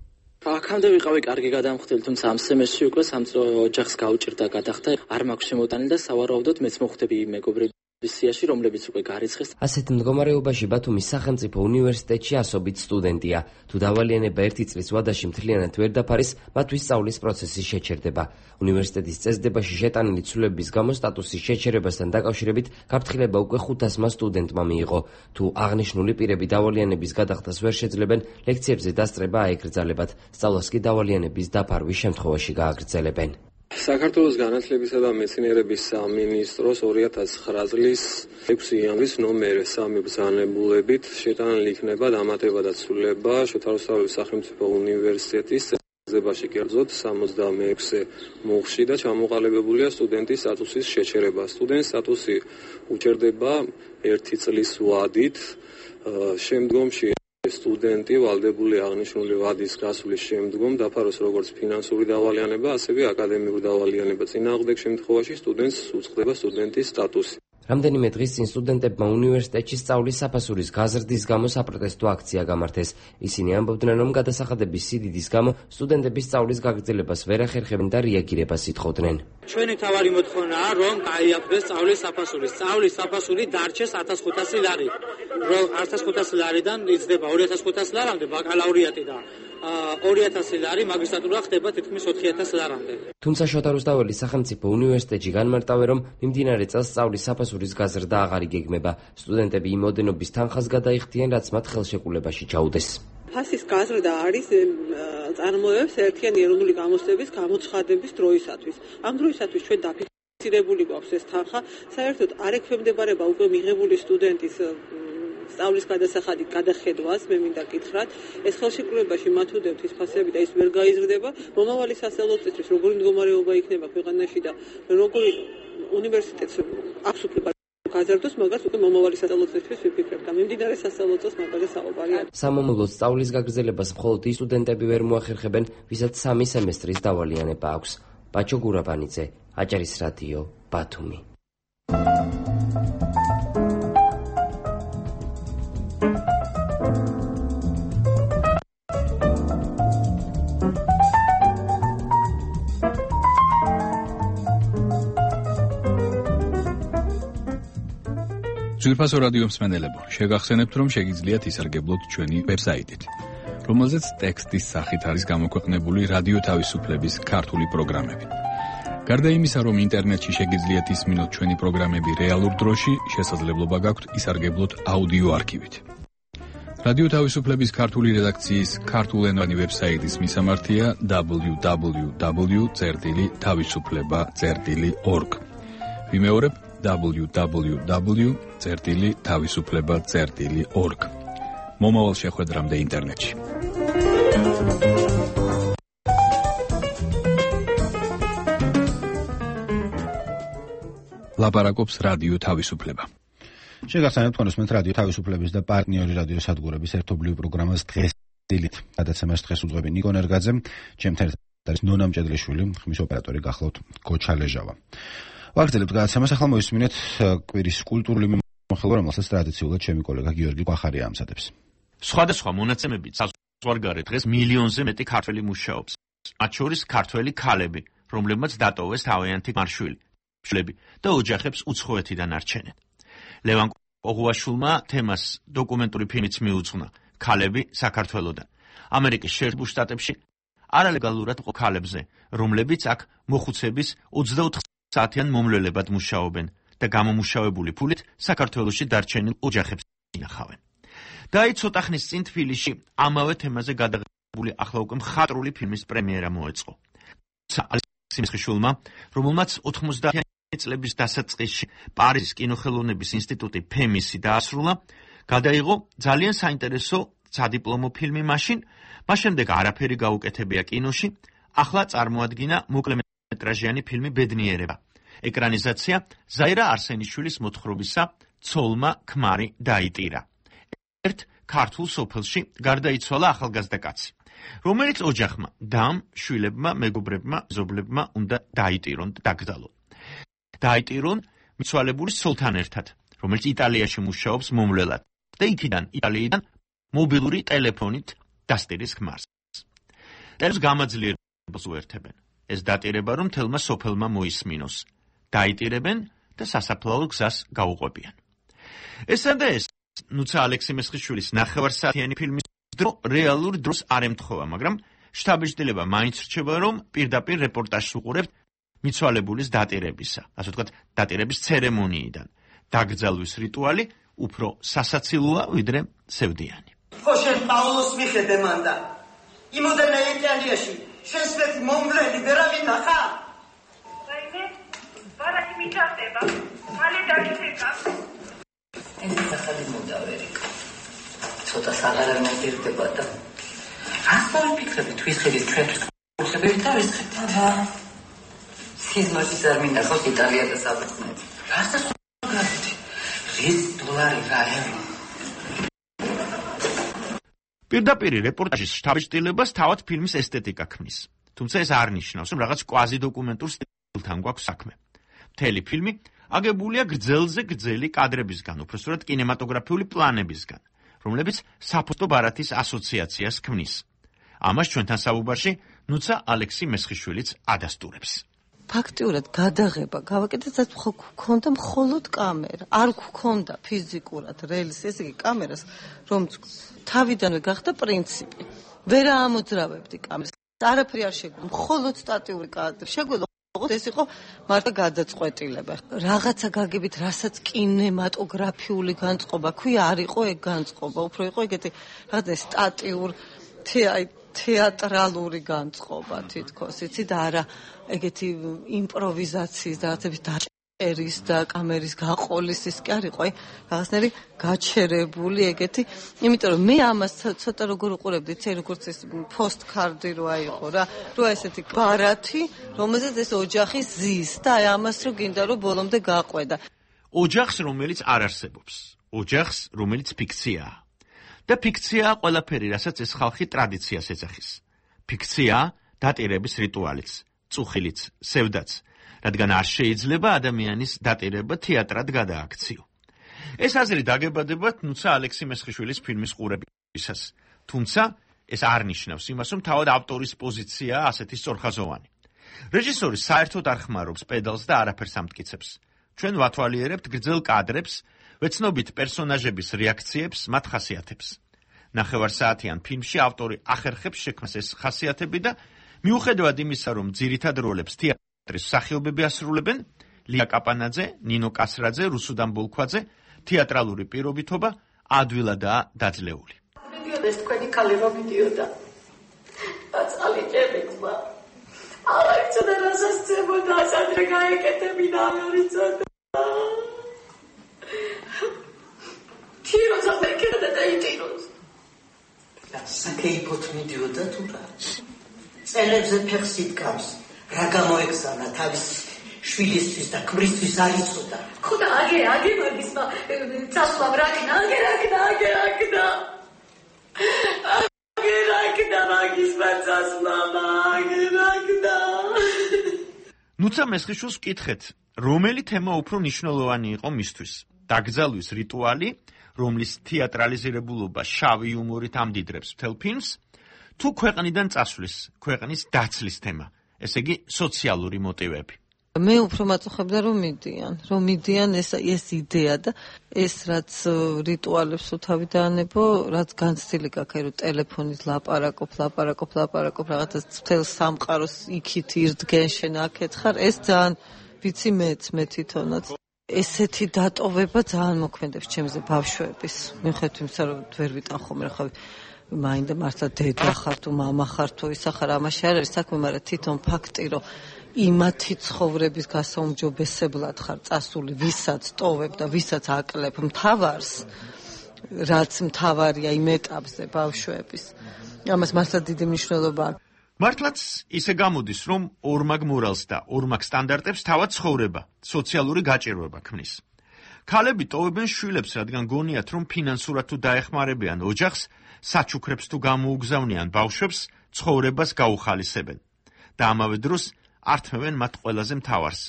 აქამდე ვიყავი კარგი გადამხდელი, თუმცა ამ სემესტრში უკვე სამწო ოჯახს გაუჭირდა გადახდა, არ მაქვს შემოტანილი და სავარაუდოდ მეც მოხვდები მეგობრები სიაში, რომლებიც უკვე გარიცხეს. ასეთ მდგომარეობაში ბათუმის სახელმწიფო უნივერსიტეტში ასობით სტუდენტია. თუ დავალიანება ერთი წლის ვადაში მთლიანად ვერ დაფარის, მათთვის სწავლის პროცესი შეჩერდება. უნივერსიტეტის წესდებაში შეტანილი ცვლილებების გამო სტატუსის შეჩერებასთან დაკავშირებით გაფრთხილება უკვე ხუთასმა სტუდენტმა მიიღო. თუ აღნიშნული პირები დავალიანების გადახდას ვერ შეძლებენ, ლექციებზე დასწრება აეკრძალებათ. სწავლას კი დავალიანების დაფარვის შემთხვევაში გააგრძელებენ. საქართველოს განათლებისა და მეცნიერების სამინისტროს ორი ათას ცხრა წლის ექვსი იანვრის ნომერ სამი ბრძანებულებით შეტანილი იქნება დამატება და ცვლილება შოთა რუსთაველის სახელმწიფო უნივერსიტეტის წესდებაში, კერძოდ სამოცდამეექვსე მუხლში და ჩამოყალიბებულია სტუდენტის სტატუსის შეჩერება. სტუდენტის სტატუსი უჩერდება ერთი წლის ვადით, შემდგომში სტუდენტი ვალდებული აღნიშნული ვადის გასვლის შემდგომ დაფაროს როგორც ფინანსური დავალიანება, ასევე აკადემიური დავალიანება. წინააღმდეგ შემთხვევაში სტუდენტს უწყდება სტუდენტის სტატუსი. რამდენიმე დღის წინ სტუდენტებმა უნივერსიტეტში სწავლის საფასურის გაზრდის გამო საპროტესტო აქცია გამართეს. ისინი ამბობდნენ, რომ გადასახადების სიდიდის გამო სტუდენტების სწავლის გაგრძელებას ვერ ახერხებენ და რეაგირებას ითხოვდნენ. ჩვენი თავარი მოთხოვნაა, რომ გაიაფრეს სწავლის საფასური. სწავლის საფასური დარჩეს ათას ხუთასი ლარი. რომ ათას ხუთასი ლარიდან იზრდება ორი ათას ხუთასი ლარამდე ბაკალავრიატი და ორი ათასი ლარი მაგისტრატურა ხდება თითქმის ოთხი ათას ლარამდე. თუმცა შოთა რუსთაველის სახელმწიფო უნივერსიტეტში განმარტავენ, რომ მიმდინარე წელს სწავლის საფასურის გაზრდა აღარ იგეგმება. სტუდენტები იმ ოდენობის თანხას გადაიხდიან, რაც მათ ხელშეკრულებაში ჩაუდეს. ფასის გაზრდა არის წარმოებს ერთიანი ეროვნული გამოცდების გამოცხადების დროისათვის. ამ დროისათვის ჩვენ დაფიქსირებული გვაქვს ეს თანხა, საერთოდ არ ექვემდებარება უკვე მიღებული სტუდენტის სწავლის გადასახადი გადახედვას, მე მინდა გითხრათ, ეს ხელშეკრულებაში მათ უდევთ ის ფასები და ის ვერ გაიზრდება. მომავალი სასწავლებლისთვის როგორი მდგომარეობა იქნება ქვეყანაში და როგორი უნივერსიტეტს აქვს გაზრდოს, მაგას უკვე მომავალი სასწავლებლისთვის ვიფიქრებ და მიმდინარე სასწავლო წელს მაგაზე საუბარია. სამომავლოდ სწავლის გაგრძელებას მხოლოდ ის სტუდენტები ვერ მოახერხებენ, ვისაც სამი სემესტრის დავალიანება აქვს. ბაჩო გურაბანიძე, აჭარის რადიო, ბათუმი. ძვირფასო რადიო მსმენელებო, შეგახსენებთ, რომ შეგიძლიათ ისარგებლოთ ჩვენი ვებსაიტით, რომელზეც ტექსტის სახით არის გამოქვეყნებული რადიო თავისუფლების ქართული პროგრამები. გარდა იმისა, რომ ინტერნეტში შეგიძლიათ ისმინოთ ჩვენი პროგრამები რეალურ დროში, შესაძლებლობა გაქვთ ისარგებლოთ აუდიო არქივით. რადიო თავისუფლების ქართული რედაქციის ქართულენოვანი ვებსაიტის მისამართია დაბლიუ დაბლიუ დაბლიუ წერტილი თავისუფლება წერტილი ორგ. ვიმეორებ დაბლიუ დაბლიუ დაბლიუ წერტილი თავისუფლება წერტილი ორგ. მომავალ შეხვედრამდე ინტერნეტში. ლაპარაკობს რადიო თავისუფლება. შეგახსენებთ, რომ მოსმენთ რადიო თავისუფლების და პარტნიორი რადიო სადგურების ერთობლივ პროგრამას დღეს დილით. გადაცემას დღეს უძღვები ნიკო ნერგაძე, ჩემთან ერთად არის ნონა მჭედლიშვილი, ხმის ოპერატორი გახლავთ გოჩა ლეჟავა. ვაგრძელებთ გადაცემას, ახლა მოისმინეთ კვირის კულტურული მიმოხილვა, რომელსაც ტრადიციულად ჩემი კოლეგა გიორგი ყვახარია ამზადებს. სხვადასხვა მონაცემებით საზღვარგარეთ დღეს მილიონზე მეტი ქართველი მუშაობს. მათ შორის ქართველი ქალები, რომლებმაც დატოვეს თავიანთი მარშვილი და ოჯახებს უცხოეთიდან არჩენენ. ლევან ოღუაშვილმა თემას დოკუმენტური ფილმიც მიუძღვნა ქალები საქართველოდან. ამერიკის შეერთებულ შტატებში არალეგალურად მყოფ ქალებზე, რომლებიც აქ მოხუცების ოცდაოთხ საათიან მომლელებად მუშაობენ და გამომუშავებული ფულით საქართველოში დარჩენილ ოჯახებს ინახავენ. და აი ცოტა ხნის წინ თბილისში ამავე თემაზე გადაღებული ახლა უკვე მხატვრული ფილმის პრემიერა მოეწყო. ალექსი მესხიშვილმა, რომელმაც ოთხმოცდაათი წლების დასაწყისში პარიზის კინოხელოვნების ინსტიტუტი ფემისი დაასრულა, გადაიღო ძალიან საინტერესო სადიპლომო ფილმი მაშინ, მას შემდეგ არაფერი გაუკეთებია კინოში, ახლა წარმოადგინა მოკლემეტრაჟიანი ფილმი ბედნიერება. ეკრანიზაცია ზაირა არსენიშვილის მოთხრობისა ცოლმა ქმარი დაიტირა. ერთ ქართულ სოფელში გარდაიცვალა ახალგაზრდა კაცი, რომელიც ოჯახმა, დამ, შვილებმა, მეგობრებმა, მეზობლებმა უნდა დაიტირონ და დაგდალონ. დაიტირონ მიცვალებული ცოლთან ერთად, რომელიც იტალიაში მუშაობს მომვლელად და იქიდან იტალიიდან მობილური ტელეფონით დასტირის ქმარს. ტელს გამაძლიერებელს უერთებენ. ეს დატირება რომ თელმა სოფელმა მოისმინოს. დაიტირებენ და სასაფლაო გზას გაუყვებიან. ესა და ეს ნუცა ალექსი მესხიშვილის ნახევარსაათიანი ფილმის დრო რეალურ დროს არ ემთხოვა, მაგრამ შთაბეჭდილება მაინც რჩება, რომ პირდაპირ რეპორტაჟს უყურებთ მიცვალებულის დატირებისა, ასე ვთქვათ, დატირების ცერემონიიდან. დაკრძალვის რიტუალი უფრო სასაცილოა, ვიდრე სევდიანი. ხო შენ პაულოს მიხედე მანდა. იმოდენა იტალიაში შენს მეტ მომვლელი ვერავინ ნახა? რაიმე? ბარათი მიჭარდება. მალე დაგიფეკა. ეს სახალი მოდავერი. ცოტა საღარა მომდირდება და რას დავიფიქრები თვის ხედის ჩვენთვის კურსები და ეს ხება. სიზმარში არ მინახავს იტალია და საბერძნეთი. რასაც გავიგე? რის დოლარი რა ევრო. პირდაპირ რეპორტაჟის შთაბეჭდილებას თავად ფილმის ესთეტიკა ქმნის. თუმცა ეს არ ნიშნავს, რომ რაღაც კვაზი დოკუმენტურ სტილთან გვაქვს საქმე. მთელი ფილმი აგებულია გრძელზე გრძელი კადრებისგან, უпроსტად კინემატოგრაფიული პლანებისგან, რომლებიც საფოსტო ბარათის ასოციაციას ქმნის. ამას ჩვენთან საუბარში ნუცა ალექსი მესხიშვილიც ადასტურებს. ფაქტიურად გადაღება გავაკეთეთ, ხო გქონდა მხოლოდ კამერა, არ გქონდა ფიზიკურად რელის, ესე იგი კამერას, რომ თავიდანვე გახდა პრინციპი. ვერ ამოძრავებდი კამერას. არაფერი არ შეგვიძლია, მხოლოდ სტატიური კადრი. შეგვიძლია ეს იყო მარტო გადაწყვეტილება. რაღაცა გაგებით, რასაც კინემატოგრაფიული განწყობა ქვია, არ იყო ეგ განწყობა, უფრო იყო ეგეთი რაღაცა სტატიურ თეატრალური განწყობა თითქოს, იცი და არა ეგეთი იმპროვიზაციის და რაღაცების დაჭერის და კამერის გაყოლის ის კი არ იყო, აი რაღაცნაირი გაჩერებული ეგეთი, იმიტომ რომ მე ამას ცოტა როგორ უყურებდი, იცი როგორც ეს პოსტკარდი რო აიყო რა, რო ესეთი ბარათი, რომელზეც ეს ოჯახი ზის და აი ამას რო გინდა რომ ბოლომდე გაყვედა. ოჯახს, რომელიც არ არსებობს, ოჯახს, რომელიც ფიქციაა. და ფიქციაა ყველაფერი, რასაც ეს ხალხი ტრადიციას ეძახის. ფიქციაა დატირების რიტუალიც, წუხილიც, სევდაც, რადგან არ შეიძლება ადამიანის დატირება თეატრად გადააქციო. ეს აზრი დაგებადებათ ნუცა ალექსი მესხიშვილის ფილმის ყურებისას. თუმცა ეს არ ნიშნავს იმას, რომ თავად ავტორის პოზიციაა ასეთი სწორხაზოვანი. რეჟისორი საერთოდ არ ხმარობს პედალს და არაფერს ამტკიცებს. ჩვენ ვათვალიერებთ გრძელ კადრებს, ვეცნობით პერსონაჟების რეაქციებს, მათ ხასიათებს. ნახევარსაათიან ფილმში ავტორი ახერხებს შექმნას ეს ხასიათები და მიუხედავად იმისა, რომ ძირითად როლებს თეატრის მსახიობები ასრულებენ, ლია კაპანაძე, ნინო კასრაძე, რუსუდან ბოლქვაძე, თეატრალური პირობითობა ადვილადაა დაძლეული. მიდიოდა ეს თქვენი ქალი რომ მიდიოდა. აცალი ჭებიცა. არა იცოდა რასაც ძებოდა, ასადრე გაეკეთებინა არ იცოდა. თიროს ამეკედა და იტიროს. საკეიფოთ მიდიოდა თუ რა? წელებზე ფეხს იდგამს, რა გამოეგზავნა თავის შვილისთვის და ქმრისთვის არ იცოდა. ხოდა აგე, აგე მაგისმა წასვლა რაკნა, აგე რაკნა, აგე რაკნა. აგე რაკნა მაგისმა წასვლა, აგე რაკნა. ნუცა მესხიშვილს ვკითხეთ, რომელი თემა უფრო მნიშვნელოვანი იყო მისთვის? დაკრძალვის რიტუალი, რომლის თეატრალიზირებულობა შავი იუმორით ამდიდრებს მთელ ფილმს, თუ ქვეყნიდან წასვლის, ქვეყნის დაცლის თემა, ესე იგი სოციალური მოტივები. მე უფრო მაწუხებდა რომ მიდიან, რომ მიდიან ეს ეს იდეა და ეს რაც რიტუალებს უთავი დაანებო, რაც განცდილი გაქვს, რომ ტელეფონით ლაპარაკობ, ლაპარაკობ, ლაპარაკობ, რაღაცა მთელ სამყაროს იქით ირდგენ შენ აქეთ ხარ, ეს ძალიან ვიცი მეც მე თვითონაც. ესეთი დატოვება ძალიან მოქმედებს ჩემზე ბავშვების. მიუხედავად იმისა, რომ ვერ ვიტან ხოლმე ხა მაინდა მართლა დედა ხარ თუ მამა ხარ თუ ისა ხარ, ამაში არ არის საქმე, მაგრამ თვითონ ფაქტი, რომ იმათი ცხოვრების გასაუმჯობესებლად ხარ წასული, ვისაც ტოვებ და ვისაც აკლებ მთავარს, რაც მთავარია იმ ეტაპზე ბავშვების. ამას მართლა დიდი მნიშვნელობა აქვს. მართლაც ისე გამოდის, რომ ორმაგ მორალს და ორმაგ სტანდარტებს თავად ცხოვრება, სოციალური გაჭირვება ქმნის. ქალები ტოვებენ შვილებს, რადგან გონიათ, რომ ფინანსურად თუ დაეხმარებიან ოჯახს, საჩუქრებს თუ გამოუგზავნიან ბავშვებს, ცხოვრებას გაუხალისებენ და ამავე დროს ართმევენ მათ ყველაზე მთავარს,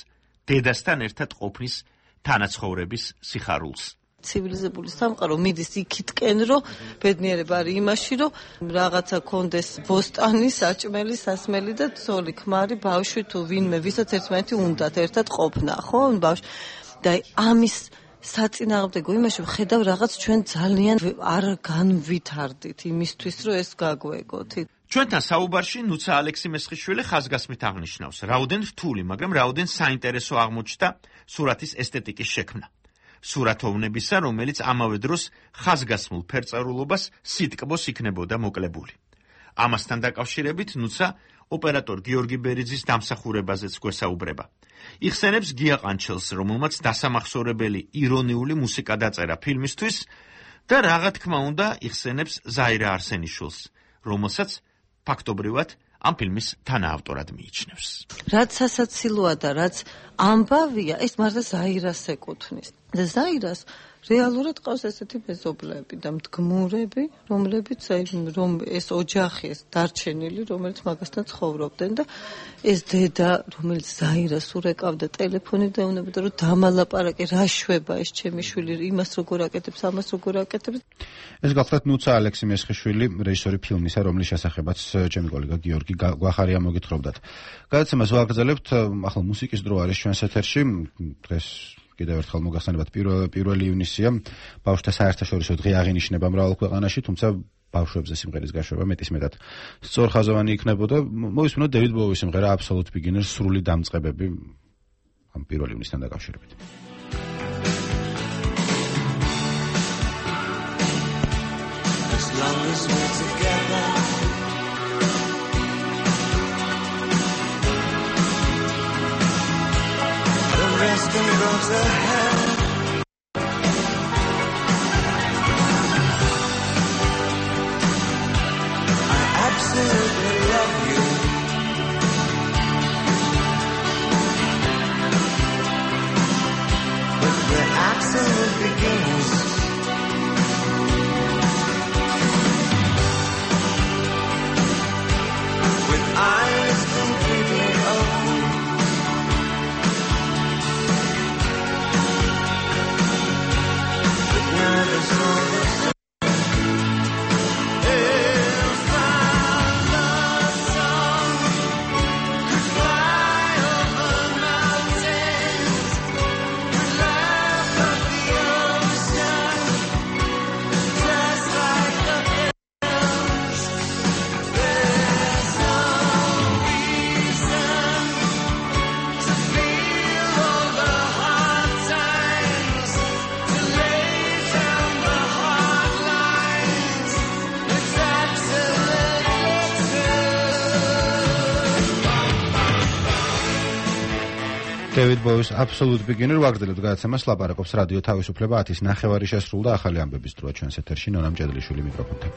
დედასთან ერთად ყოფნის თანაცხოვრების სიხარულს. ცივილიზებული სამყარო მიდის იქითკენ, რომ ბედნიერება არის იმაში, რომ რაღაცა კონდეს ბოსტანი, საჭმელი, სასმელი და ცოლი, ქმარი, ბავშვი თუ ვინმე, ვისაც ერთმანეთი უნდათ ერთად ყოფნა, ხო? ბავშვი და ამის საწინააღმდეგო იმაში ვხედავ რაღაც ჩვენ ძალიან არ განვითარდით იმისთვის, რომ ეს გაგვეგოთ. ჩვენთან საუბარში ნუცა ალექსი-მესხიშვილი ხაზგასმით აღნიშნავს, რაოდენ რთული, მაგრამ რაოდენ საინტერესო აღმოჩნდა სურათის ესთეტიკის შექმნა. სურათოვნებისა, რომელიც ამავე დროს ხაზგასმულ ფერწერულობას სიტკბოს იქნებოდა მოკლებული. ამასთან დაკავშირებით ნუცა ოპერატორ გიორგი ბერიძის დამსახურებაზეც გვესაუბრება. იხსენებს გია ყანჩელს, რომელმაც დასამახსოვრებელი ირონიული მუსიკა დაწერა ფილმისთვის და რა თქმა უნდა იხსენებს ზაირა არსენიშვილს, რომელსაც ფაქტობრივად ამ ფილმის თანაავტორად მიიჩნევს. რაც სასაცილოა და რაც ამბავია, ეს მართლა ზაირას ეკუთვნის. და ზაირას რეალურად ყავს ესეთი მეზობლები და მდგმურები, რომლებიც რომ ეს ოჯახი, ეს დარჩენილი, რომელიც მაგასთან ცხოვრობდნენ და ეს დედა, რომელიც ზაირას ურეკავდა ტელეფონით და ეუბნებოდა, რომ დამალაპარაკე, რა შვება ეს ჩემი შვილი, იმას როგორ აკეთებს, ამას როგორ აკეთებს. ეს გახლავთ ნუცა ალექსი-მესხიშვილი, რეჟისორი ფილმისა, რომლის შესახებაც ჩემი კოლეგა გიორგი გვახარია მოგითხრობდათ. გადაცემას ვაგრძელებთ, ახლა მუსიკის დრო არის ჩვენს ეთერში, დღეს კიდევ ერთხელ მოგახსენებათ პირველი ივნისია, ბავშვთა საერთაშორისო დღე აღინიშნება მრავალ ქვეყანაში, თუმცა ბავშვებზე სიმღერის გაშვება მეტისმეტად სწორხაზოვანი იქნებოდა. მოვისმინოთ დევიდ ბოუის სიმღერა Absolute Beginners, სრული დამწყებები ამ პირველი ივნისთან დაკავშირებით. As long as we're together, the rest can go to hell. I absolutely love you. But the absolute begins with eyes completely open. David Bowie's Absolute Beginner ვაგრძელებთ გადაცემას ლაპარაკობს რადიო თავისუფლება ათის ნახევარი შესრულდა ახალი ამბების დროა ჩვენს ეთერში ნონა მჭედლიშვილი მიკროფონთან.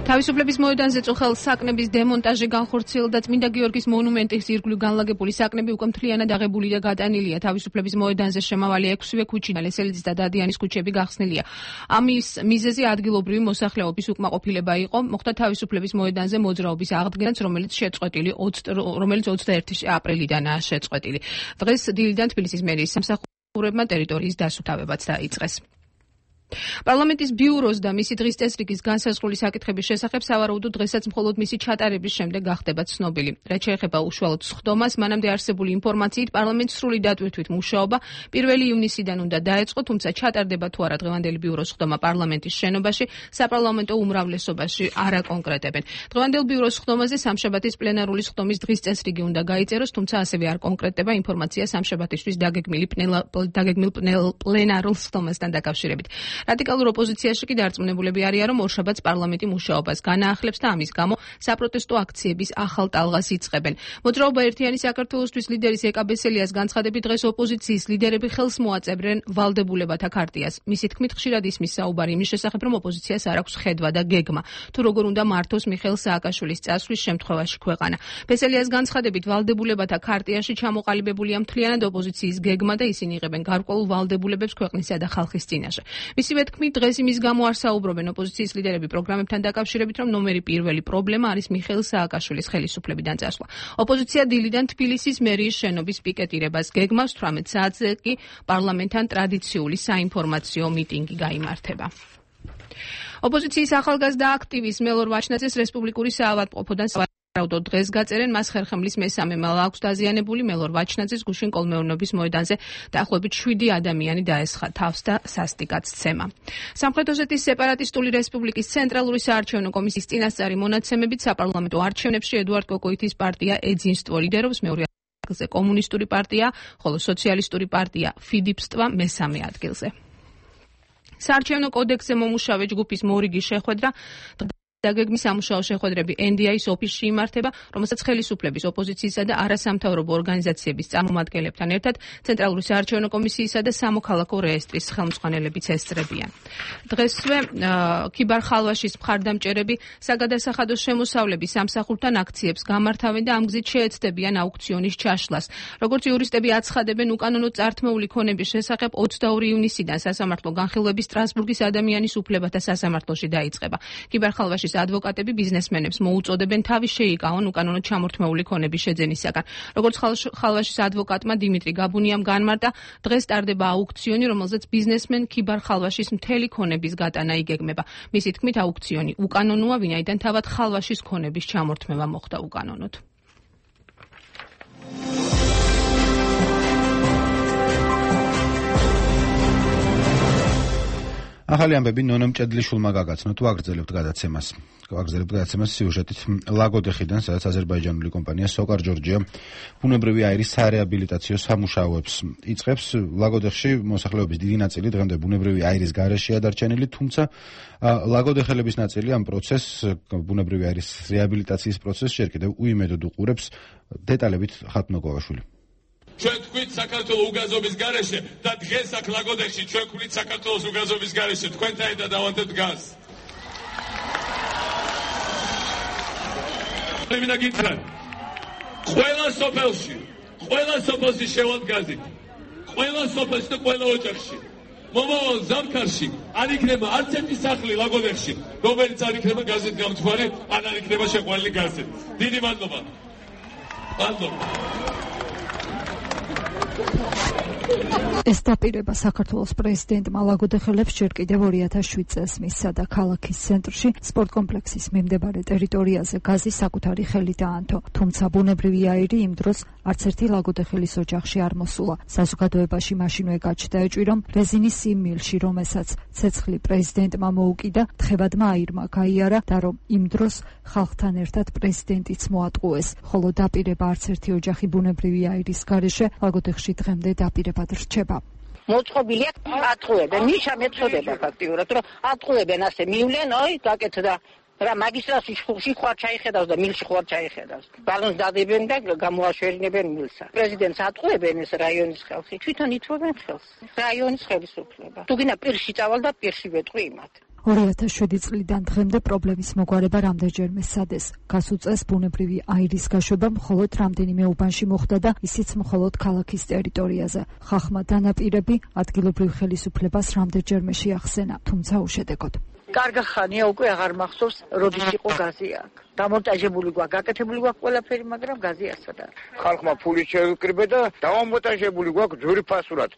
თავისუფლების მოედანზე წუხელ საკნების დემონტაჟი განხორციელდა წმინდა გიორგის მონუმენტის ირგვლივ განლაგებული საკნები უკვე მთლიანად აღებული და გადანილია. თავისუფლების მოედანზე შემავალი ექვსივე ქუჩი, ლესელიძის და დადიანის ქუჩები გახსნილია. ამის მიზეზი ადგილობრივი მოსახლეობის უკმაყოფილება იყო. მოხდა თავისუფლების მოედანზე მოძრაობის აღდგენაც, რომელიც შეწყვეტილი რომელიც ოცდაერთი აპრილიდანაა შეწყვეტილი. დღეს დილიდან თბილისის მერიის სამსახურებმა ტერიტორიის დასუფთავებაც დაიწყეს. პარლამენტის ბიუროს და მისი დღის წესრიგის განსაზღვრული საკითხების შესახებ სავარაუდოდ დღესაც მხოლოდ მისი ჩატარების შემდეგ გახდება ცნობილი. რაც შეეხება უშუალოდ სხდომას, მანამდე არსებული ინფორმაციით პარლამენტს სრული დატვირთვით მუშაობა პირველი ივნისიდან უნდა დაეწყო, თუმცა ჩატარდება თუ არა დღევანდელი ბიუროს სხდომა პარლამენტის შენობაში, საპარლამენტო უმრავლესობაში არ აკონკრეტებენ. დღევანდელ ბიუროს სხდომაზე სამშაბათის პლენარული სხდომის დღის წესრიგი უნდა გაიწეროს, თუმცა ასევე არ კონკრეტდება ინფორმაცია სამშაბათისთვის დაგეგმილი დაგეგმილ პლენარულ სხდომასთან დაკავშირებით. რადიკალურ ოპოზიციაში კი დარწმუნებულები არიან, რომ ორშაბათს პარლამენტი მუშაობას განაახლებს და ამის გამო საპროტესტო აქციების ახალ ტალღას იწყებენ. მოძრაობა ერთიანი საქართველოსთვის ლიდერის ეკა ბესელიას განცხადებით დღეს ოპოზიციის ლიდერები ხელს მოაწევრენ ვალდებულებათა ქარტიას. მისი თქმით ხშირად ისმის საუბარი იმის შესახებ, რომ ოპოზიციას არ აქვს ხედვა და გეგმა, თუ როგორ უნდა მართოს მიხეილ სააკაშვილის წასვლის შემთხვევაში ქვეყანა. ბესელიას განცხადებით ვალდებულებათა ქარტიაში ჩამოყალიბებულია მთლიანად ოპოზიციის გეგმა და ისინი იღებენ გარკვეულ ვალდებულებებს ქვეყნისა და ხალხის წინაშე. მისივე თქმით, დღეს იმის გამო არ საუბრობენ ოპოზიციის ლიდერები პროგრამებთან დაკავშირებით, რომ ნომერი პირველი პრობლემა არის მიხეილ სააკაშვილის ხელისუფლებიდან წასვლა. ოპოზიცია დილიდან თბილისის მერიის შენობის პიკეტირებას გეგმავს, თვრამეტ საათზე კი პარლამენტთან ტრადიციული საინფორმაციო მიტინგი გაიმართება. ოპოზიციის ახალგაზრდა აქტივისტ მელორ ვაჩნაძეს რესპუბლიკური საავადმყოფოდან საავადმყოფოდ დღეს გაწერენ, მას ხერხემლის მესამე მალა აქვს დაზიანებული. მელორ ვაჩნაძეს გუშინ კოლმეურნეობის მოედანზე დაახლოებით შვიდი ადამიანი დაესხა თავს და სასტიკად სცემა. სამხრეთ ოსეთის სეპარატისტული რესპუბლიკის ცენტრალური საარჩევნო კომისიის წინასწარი მონაცემებით საპარლამენტო არჩევნებში ედუარდ კოკოითის პარტია ეძინსტვო ლიდერობს, მეორე ადგილზე კომუნისტური პარტია, ხოლო სოციალისტური პარტია ფიდიპსტვა მესამე ადგილზე. საარჩევნო კოდექსზე მომუშავე ჯგუფის მორიგი შეხვედრა დაგეგმის სამუშაო შეხვედრები ენ დი აის ოფისში იმართება, რომელსაც ხელისუფლების, ოპოზიციისა და არასამთავრობო ორგანიზაციების წარმომადგენლებთან ერთად ცენტრალური საარჩევნო კომისიისა და სამოქალაქო რეესტრის ხელმძღვანელებიც ესწრებიან. დღესვე ქიბარ ხალვაშის მხარდამჭერები საგადასახადო შემოსავლების სამსახურთან აქციებს გამართავენ და ამ გზით შეეცდებიან აუქციონის ჩაშლას. როგორც იურისტები აცხადებენ, უკანონო წართმეული ქონების შესახებ ოცდაორი ივნისიდან სასამართლო განხილვები სტრასბურგის ადამიანის უფლებათა სასამართლოში დაიწყება. ქიბარ ხალვაშის ადვოკატები ბიზნესმენებს მოუწოდებენ თავის შეიკავონ უკანონო ჩამორთმეული ქონების შეძენისაგან. როგორც ხალვაშის ადვოკატმა დიმიტრი გაბუნიამ განმარტა, დღეს ტარდება აუქციონი, რომელზეც ბიზნესმენ ქიბარ ხალვაშის მთელი ქონების გატანა იგეგმება. მისი თქმით, აუქციონი უკანონოა, ვინაიდან თავად ხალვაშის ქონების ჩამორთმევა მოხდა უკანონოდ. ახალი ამბები ნონა მჭედლიშვილმა გაგაცნოთ, ვაგრძელებთ გადაცემას. ვაგრძელებთ გადაცემას სიუჟეტით ლაგოდეხიდან, სადაც აზერბაიჯანული კომპანია სოკარ ჯორჯია ბუნებრივი აირის სარეაბილიტაციო სამუშაოებს იწყებს. ლაგოდეხში მოსახლეობის დიდი ნაწილი დღემდე ბუნებრივი აირის გარეშეა დარჩენილი, თუმცა ლაგოდეხელების ნაწილი ამ პროცესს, ბუნებრივი აირის რეაბილიტაციის პროცესს ჯერ კიდევ უიმედოდ უყურებს. დეტალებით ხათნო გოგაშვილი. ჩვენ თქვით საქართველოს უგაზობის გარეშე და დღეს აქ ლაგოდეხში ჩვენ ვქვით საქართველოს უგაზობის გარეშე, თქვენთან ერთად დავანდებთ გაზს. მინდა გითხრათ, ყველა სოფელში, ყველა სოფელში შევად გაზი, ყველა სოფელში და ყველა ოჯახში, მომავალ ზამთარში არ იქნება არც ერთი სახლი ლაგოდეხში, რომელიც არ იქნება გაზით გამთვარი, ან არ იქნება შეყვანილი გაზით. დიდი მადლობა. მადლობა. ეს დაპირება საქართველოს პრეზიდენტმა ლაგოდეხელებს ჯერ კიდევ ორი ათას შვიდ წელს მისცა და ქალაქის ცენტრში სპორტ კომპლექსის მიმდებარე ტერიტორიაზე გაზი საკუთარი ხელით დაანთო. თუმცა ბუნებრივი აირი იმ დროს არც ერთი ლაგოდეხელის ოჯახში არ მოსულა. საზოგადოებაში მაშინვე გაჩნდა ეჭვი, რომ რეზინის იმ მილში, რომელსაც ცეცხლი პრეზიდენტმა მოუკიდა, თხევადმა აირმა გაიარა და რომ იმ დროს ხალხთან ერთად პრეზიდენტიც მოატყუეს. ხოლო დაპირება არც ერთი ოჯახი ბუნებრივი აირის გარეშე ლაგოდეხში დღემდე დაპირებად რჩება. მოწყობილია ატყუებენ. ნიშა მეწოდება ფაქტიურად, რომ ატყუებენ ასე მივლენ, ой, გაკეთდა რა მაგისტრატში ხუში ხوار ჩაიხედავს და მილში ხوار ჩაიხედავს. ბალონს დადებენ და გამოაშვერინებენ მილსა. პრეზიდენტს ატყუებენ ეს რაიონის ხალხი, თვითონ ითხოვენ ხელს. რაიონის ხელისუფლება. თუ გინდა პირში წავალ და პირში ვეტყვი იმათ. ორი ათას შვიდი წლიდან დღემდე პრობლემის მოგვარება რამდენჯერმე სადეს. გასულ წელს ბუნებრივი აირის გაშვება მხოლოდ რამდენიმე უბანში მოხდა და ისიც მხოლოდ ქალაქის ტერიტორიაზე. ხახმა დანაპირები ადგილობრივ ხელისუფლებას რამდენჯერმე შეახსენა, თუმცა უშედეგოდ. კარგა ხანია უკვე აღარ მახსოვს, როდის იყო გაზი აქ. დამონტაჟებული გვაქვს, გაკეთებული გვაქვს ყველაფერი, მაგრამ გაზი ასად არის. ხალხმა ფული შეიკრიბე და დამონტაჟებული გვაქვს ძვირფასურად.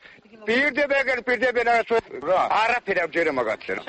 პირდებენ, პირდებენ რა, არაფერი არ ჯერე მაგათზე რა.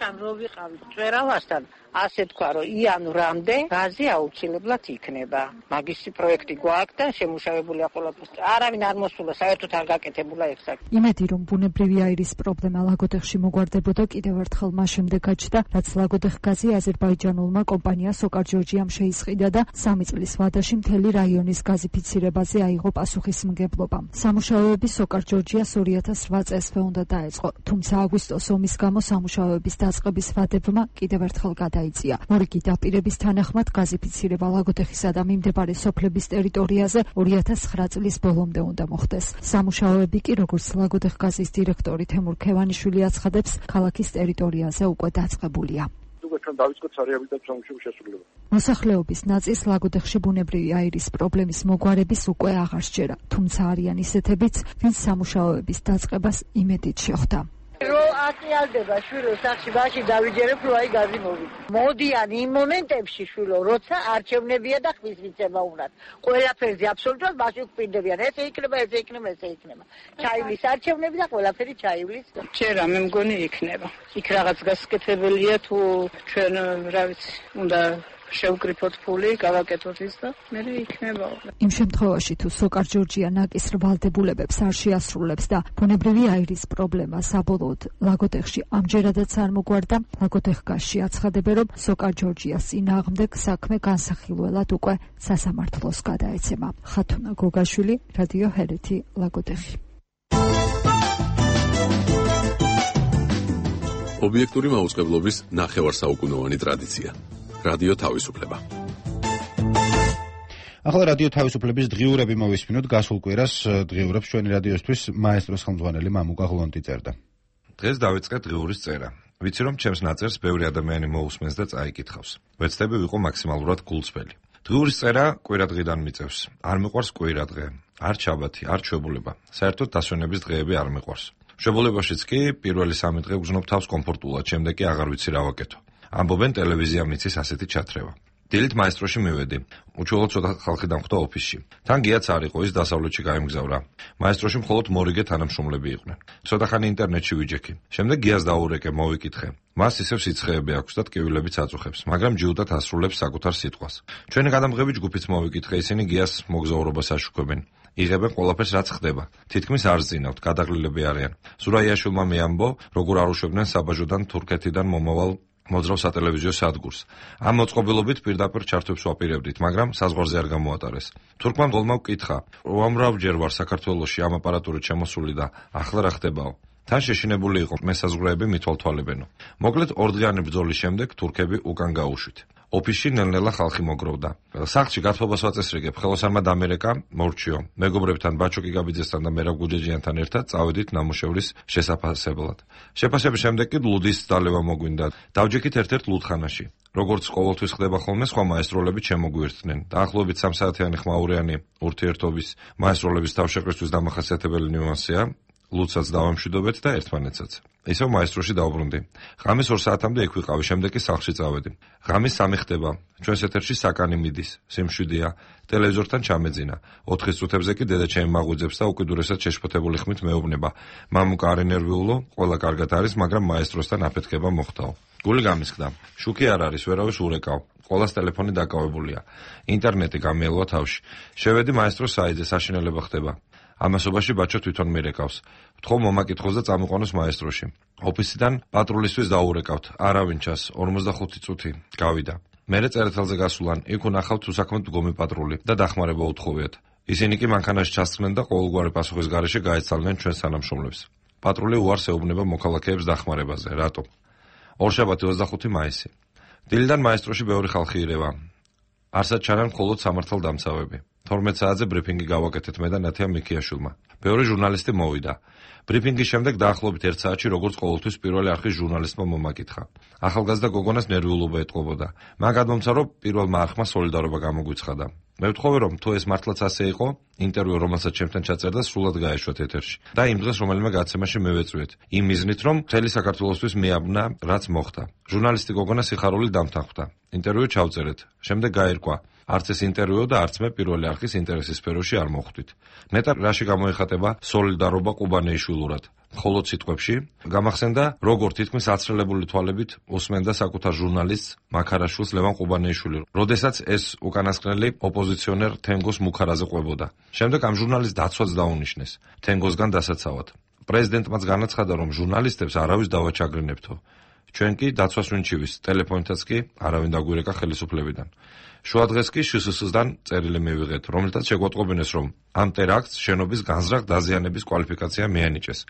შამ რო ვიყავი წვერავასთან, ასე თქვა, რომ იანვრამდე გაზი აუცილებლად იქნება. მაგისი პროექტი გვაქვს და შემუშავებულია ყველაფერს. არავინ არ მოსულა, საერთოდ არ გაკეთებულა ეს საქმე. იმედი რომ ბუნებრივი აირის პრობლემა ლაგოდეხში მოგვარდებოდა კიდევ ერთხელ მას შემდეგ გაჩნდა, რაც ლაგოდეხ გაზი აზერბაიჯანულმა კომპანია სოკარ ჯორჯიამ შეისყიდა და სამი წლის ვადაში მთელი რაიონის გაზიფიცირებაზე აიღო პასუხისმგებლობა. სამუშაოები სოკარ ჯორჯიას ორი ათას რვა წელსვე უნდა დაეწყო, თუმცა აგვისტოს ომის გამო სამუშაოების დაწყების ვადებმა კიდევ ერთხელ გადაიწია. მორიგი დაპირების თანახმად გაზიფიცირება ლაგოდეხისა და მიმდებარე სოფლების ტერიტორიაზე ორი ათას ცხრა წლის ბოლომდე უნდა მოხდეს. სამუშაოები კი, როგორც ლაგოდეხ გაზის დირექტორი თემურ ქევანიშვილი აცხადებს, ქალაქის ტერიტორიაზე უკვე დაწყებულია. მოსახლეობის ნაწილს ლაგოდეხში ბუნებრივი აირის პრობლემის მოგვარების უკვე აღარ სჯერა, თუმცა არიან ისეთებიც, ვინც სამუშაოების დაწყებას იმედით შეხვდა. რო აკიალდება შვილო სახში ბაში დავიჯერებ რო აი გაზი მოვიდა. მოდიან იმ მომენტებში შვილო, როცა არჩევნებია და ხმის მიცემა უნდათ. ყველაფერზე აბსოლუტურად ბაში გვპირდებიან. ესე იქნება, ესე იქნება, ესე იქნება. ჩაივლის არჩევნები და ყველაფერი ჩაივლის. ჯერა მე მგონი იქნება. იქ რაღაც გასაკეთებელია თუ ჩვენ რა ვიცი, უნდა შევკრიფოთ ფული, გავაკეთოთ ის და მე იქნება. იმ შემთხვევაში თუ სოკარ ჯორჯია ნაკის რვალდებულებებს არ შეასრულებს და ბუნებრივი აირის პრობლემა საბოლოოდ ლაგოდეხში ამჯერადაც არ მოგვარდა, ლაგოდეხ გაზში აცხადებენ, რომ სოკარ ჯორჯიას წინააღმდეგ საქმე განსახილველად უკვე სასამართლოს გადაეცემა. ხათუნა გოგაშვილი, რადიო ჰერეთი, ლაგოდეხი. ობიექტური მაუწყებლობის ნახევარსაუკუნოვანი ტრადიცია. რადიო თავისუფლება. ახლა რადიო თავისუფლების დღიურები მოვისმინოთ. გასულ კვირას დღიურებს ჩვენი რადიოსთვის მაესტროს ხელმძღვანელი მამუკა ღლონტი წერდა. დღეს დავიწყე დღიურის წერა. ვიცი რომ ჩემს ნაწერს ბევრი ადამიანი მოусმენს და წაიკითხავს. ვეცდები ვიყო მაქსიმალურად გულწრფელი. დღიურის წერა კვირადღიდან მიწევს. არ მიყვარს კვირადღე, არ ჩაბათი, არ ჩვეულება. საერთოდ დასვენების დღეები არ მიყვარს. ჩვეულებაშიც კი პირველი სამი დღე გძნობ თავს კომფორტულად, შემდეგ კი აღარ ვიცი რა ვაკეთო. ამბობენ ტელევიზია მიცის ასეთი ჩათრევა. დილით მაესტროში მივედი. უჩვეულოდ ცოტა ხალხი დამხვდა ოფისში. თან გიაც არ იყო, ის დასავლეთში გაემგზავრა. მაესტროში მხოლოდ მორიგე თანამშრომლები იყვნენ. ცოტა ხანი ინტერნეტში ვიჯექი. შემდეგ გიას დაურეკე, მოვიკითხე. მას ისევ სიცხეები აქვს და ტკივილებიც აწუხებს, მაგრამ ჯიუტად ასრულებს საკუთარ სიტყვას. ჩვენი გადამღები ჯგუფიც მოვიკითხე, ისინი გიას მოგზაურობას აშუქებენ. იღებენ ყველაფერს რაც ხდება. თითქმის არ ზინავთ, გადაღლილები არიან. ზურაიაშვილმა მეამბო, როგორ არ უშვებდნენ საბაჟოდან თურქეთიდან მომავალ მოძრავ სატელევიზიო სადგურს. ამ მოწყობილობით პირდაპირ ჩართვებს ვაპირებდით, მაგრამ საზღვარზე არ გამოატარეს. თურქმა მგოლმა ვკითხა, უამრავჯერ ვარ საქართველოში ამ აპარატურით შემოსული და ახლა რა ხდებაო? თან შეშინებული იყო მესაზღვრეები მithვალთვალებენო. მოკლედ ორდღიანი ბრძოლის შემდეგ თურქები უკან გაუშვით. ოფისში ნელ-ნელა ხალხი მოგროვდა. სახლში გათხოვებას ვაწესრიგებ, ხელოსანმა დამერეკა, მორჩიო. მეგობრებთან ბაჩოკი გაბიძესთან და მერაბ გუჯეჯიანთან ერთად წავედით ნამუშევრის შესაფასებლად. შეფასების შემდეგ კი ლუდის დალევა მოგვინდა. დავჯექით ერთ-ერთ ლუდხანაში. როგორც ყოველთვის ხდება ხოლმე, სხვა მაესტროლები შემოგვიერთდნენ. დაახლოებით სამ საათიანი ხმაურიანი ურთიერთობის მაესტროლების თავშეყრისთვის დამახასიათებელი ნიუანსია. ლუდსაც დავამშვიდობეთ და ერთმანეთსაც. ისევ მაესტროში დავბრუნდი. ღამის ორ საათამდე იქ ვიყავი, შემდეგ კი სახლში წავედი. ღამის სამი ხდება. ჩვენს ეთერში საკანი მიდის, სიმშვიდეა, ტელევიზორთან ჩამეძინა. ოთხის წუთებზე კი დედა ჩემი მაღვიძებს და უკიდურესად შეშფოთებული ხმით მეუბნება. მამუკა არ ენერვიულო, ყველა კარგად არის, მაგრამ მაესტროსთან აფეთქება მოხდაო. გული გამისხდა. შუქი არ არის, ვერავის ურეკავ. ყველას ტელეფონი დაკავებულია. ინტერნეტი გამიელვა თავში. შევედი მაესტროს საიტზე, საშინელება ხდება. ამასობაში ბაჩო თვითონ მირეკავს. ვთხოვ მომაკითხოს და წამიყვანოს მაესტროში. ოფისიდან პატრულისთვის დაურეკავთ. არავინ ჩას, ორმოცდახუთი წუთი. გავიდა. მერე წერეთელზე გასულან, იქ უნახავთ უსაქმოდ მდგომი პატრული და დახმარება უთხოვიათ. ისინი კი მანქანაში ჩასწრნენ და ყოველგვარი პასუხის გარეშე გაეცალნენ ჩვენს თანამშრომლებს. პატრული უარს ეუბნება მოქალაქეებს დახმარებაზე. რატომ? ორშაბათი ოცდახუთი მაისი. დილიდან მაესტროში ბევრი ხალხი ირევა. არსად ჩანან მხოლოდ სამართალდამცავები. თორმეტ საათზე ბრიფინგი გავაკეთეთ მე და ნათია მიქიაშვილმა. ბევრი ჟურნალისტი მოვიდა. ბრიფინგის შემდეგ დაახლოებით ერთ საათში როგორც ყოველთვის პირველი არხის ჟურნალისტმა მომაკითხა. ახალგაზრდა გოგონას ნერვიულობა ეტყობოდა. მან გადმომცა, რომ პირველმა არხმა სოლიდარობა გამოგვიცხადა. მე ვთხოვე, რომ თუ ეს მართლაც ასე იყო, ინტერვიუ რომელსაც ჩემთან ჩაწერდა, სრულად გაეშვათ ეთერში. და იმ დღეს რომელიმე გაცემაში მევეწვიეთ. იმ მიზნით, რომ მთელი საქართველოსთვის მიაბნა, რაც მოხდა. ჟურნალისტი გოგონა სიხარული დამთანხმდა. ინტერვიუ ჩავწერეთ. შემდეგ გაირკვა. არც ეს ინტერვიუ და არც მე პირველი არხის ინტერესის სფეროში არ მოხვდით. ნეტარ რაში გამოიხატება სოლიდარობა ყუბანეიშვილურად? მხოლოდ სიტყვებში გამახსენდა, როგორ თითქმის აცრელებული თვალებით უსმენდა საკუთარ ჟურნალისტს მაქარაშვილს ლევან ყუბანეიშვილი, როდესაც ეს უკანასკნელი ოპოზიციონერ თენგოს მუქარაზე ყვებოდა. შემდეგ ამ ჟურნალისტს დაცვაც დაუნიშნეს, თენგოსგან დასაცავად. პრეზიდენტმაც განაცხადა, რომ ჟურნალისტებს არავის დავაჩაგრინებთო. ჩვენ კი დაცვას ვინჩივის, ტელეფონითაც კი არავინ დაგვირეკა ხელისუფლებიდან. შუა დღეს კი შსს-დან წერილი მივიღეთ, რომელთაც შეგვატყობინეს, რომ ამ ტერაქტს შენობის განზრახ დაზიანების კვალიფიკაცია მიანიჭეს.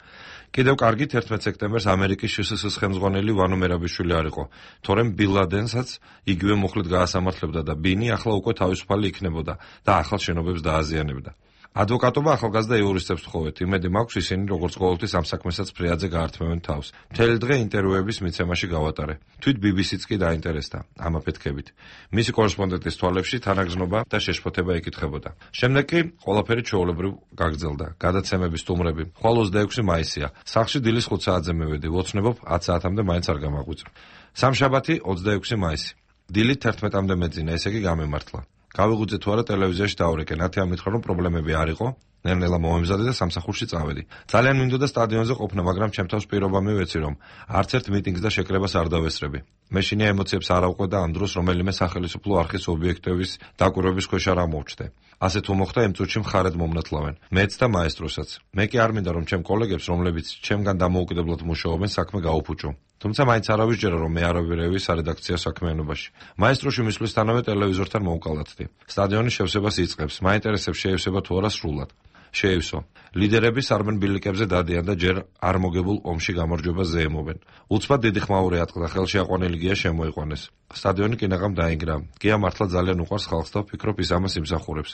კიდევ კარგით ერთმეტ სექტემბერს ამერიკის შსს ხელმძღვანელი ვანო მერაბიშვილი არ იყო, თორემ ბინ ლადენსაც იგივე მუხლით გაასამართლებდა და ბინი ახლა უკვე თავისუფალი იქნებოდა და ახალ შენობებს დააზიანებდა. ადვოკატობა ახალგაზრდა იურისტებს თხოვეთ, იმედი მაქვს ისინი როგორც ყოველთვის ამ საქმესაც ფრიადზე გაართმევენ თავს. მთელი დღე ინტერვიუების მიცემაში გავატარე. თვით ბი ბი სიც კი დაინტერესდა ამ აფეთქებით. მისი კორესპონდენტის თვალებში თანაგრძნობა და შეშფოთება იკითხებოდა. შემდეგ კი ყველაფერი ჩვეულებრივ გაგრძელდა. გადაცემების სტუმრები. ხვალ ოცდაექვსი მაისია. სახლში დილის ხუთ საათზე მივედი. ვოცნებობ ათ საათამდე მაინც არ გამაღვიძე. სამშაბათი ოცდაექვსი მაისი. დილით თერთმეტამდე მეძინა, ესე იგი გამემართლა. გავიღვიძე თუ არა ტელევიზიაში დავურეკე, ნათია მითხრა, რომ პრობლემები არ იყო, ნელ-ნელა მომემზადე და სამსახურში წავედი. ძალიან მინდოდა სტადიონზე ყოფნა, მაგრამ ჩემ თავს პირობა მივეცი, რომ არც ერთ მიტინგს და შეკრებას არ დავესწრები. მე შინია ემოციებს არ ავყვე და ამ დროს რომელიმე სახელმწიფო არხის ობიექტების დაკვირვების ქვეშ არ ამოვჩდე. ასე თუ მოხდა, იმ წუთში მხარად მომნათლავენ. მეც და მაესტროსაც. მე კი არ მინდა, რომ ჩემ კოლეგებს, რომლებიც ჩემგან დამოუკიდებლად მუშაობენ, საქმე გაუფუჭო. თუმცა მაინც არ ავისჯერა, რომ მე არ ავირევი სარედაქციო საქმიანობაში. მაესტროში მისვლისთანავე ტელევიზორთან მოვკალათდი. სტადიონის შევსებას იწყებს. მაინტერესებს შეევსება თუ არა სრულად. შეევსო. ლიდერები სარბენ ბილიკებზე დადიან და ჯერ არ მოგებულ ომში გამარჯვებას ზეიმობენ. უცბად დიდი ხმაური ატყდა, ხელში აყვანილი გია შემოიყვანეს. სტადიონი კინაღამ დაინგრა. გია მართლა ძალიან უყვარს ხალხს და ვფიქრობ, ის ამას იმსახურებს.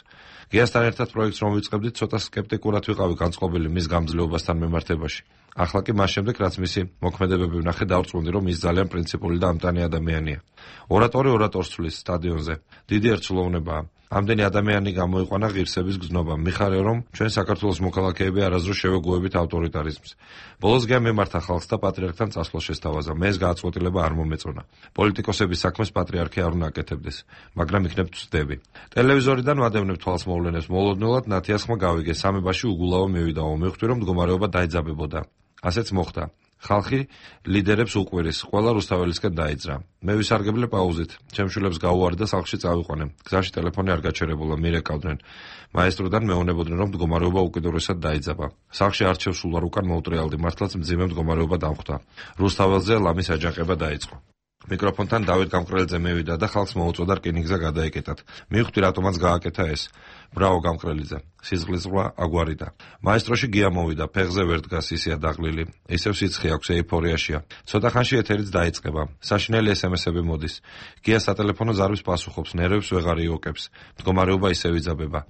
გიასთან ერთად პროექტს რომ ვიწყებდით, ცოტა სკეპტიკურად ვიყავი განწყობილი მის გამძლეობასთან მიმართებაში. ახლა კი მას შემდეგ, რაც მისი მოქმედებები ვნახე, დავწყვეტი, რომ ის ძალიან პრინციპული და ამტანი ადამიანია. ორატორი ორატორს ცვლის სტადიონზე. დიდი ერთსულოვნებაა. ამდენი ადამიანი გამოიყვანა ღირსების გზნობა. მიხარია, რომ ჩვენ საქართველოს მოქალაქეები არასდროს შევეგუებით ავტორიტარიზმს. ბოლოს გია მიმართა ხალხს და პატრიარქთან წასვლა შესთავაზა. მე ეს გააცვეთილება არ მომეწონა. პოლიტიკოსების საქმეს პატრიარქი არ უნდა აკეთებდეს, მაგრამ იქნებ ვწდები. ტელევიზორიდან ვადევნებ თვალს მოვლენებს. მოულოდნელად ნათიას ხმა გავიგე, სამებაში უგულავო მივიდაო. მივხვდი, რომ მდგომარეობა დაიძაბებოდა. ასეც მოხდა. ხალხი ლიდერებს უყვირის, ყველა რუსთაველისკენ დაიძრა. მე ვისარგებლე პაუზით. ჩემშვილებს გაუვარდა სახლში წავიყვანე. გზაში ტელეფონი არ გაჩერებულა, მირეკავდნენ. მაესტროდან მეუბნებოდნენ, რომ მდგომარეობა უკიდურესად დაიძაბა. სახლში არჩევს სულ არ უკან მოუტრიალდი, მართლაც მძიმე მდგომარეობა დამხვდა. რუსთაველზე ლამის აჯანყება დაიწყო. მიკროფონთან დავით გამყრელიძე მივიდა და ხალხს მოუწოდა რკინიგზა გადაეკეტათ. მივხვდი, რატომაც გააკეთა ეს. ბრავო გამყრელიძე. სიზღლის ზღვა აგვარიდა. მაესტროში გია მოვიდა, ფეხზე ვერ დგას, ისეა დაღლილი. ისევ სიცხე აქვს, ეიფორიაშია. ცოტა ხანში ეთერიც დაიწყება. საშინელი ეს ემ ესები მოდის. გია სატელეფონო ზარვის პასუხობს, ნერვებს ვეღარ იოკებს. მდგომარეობა ისევ იძაბება.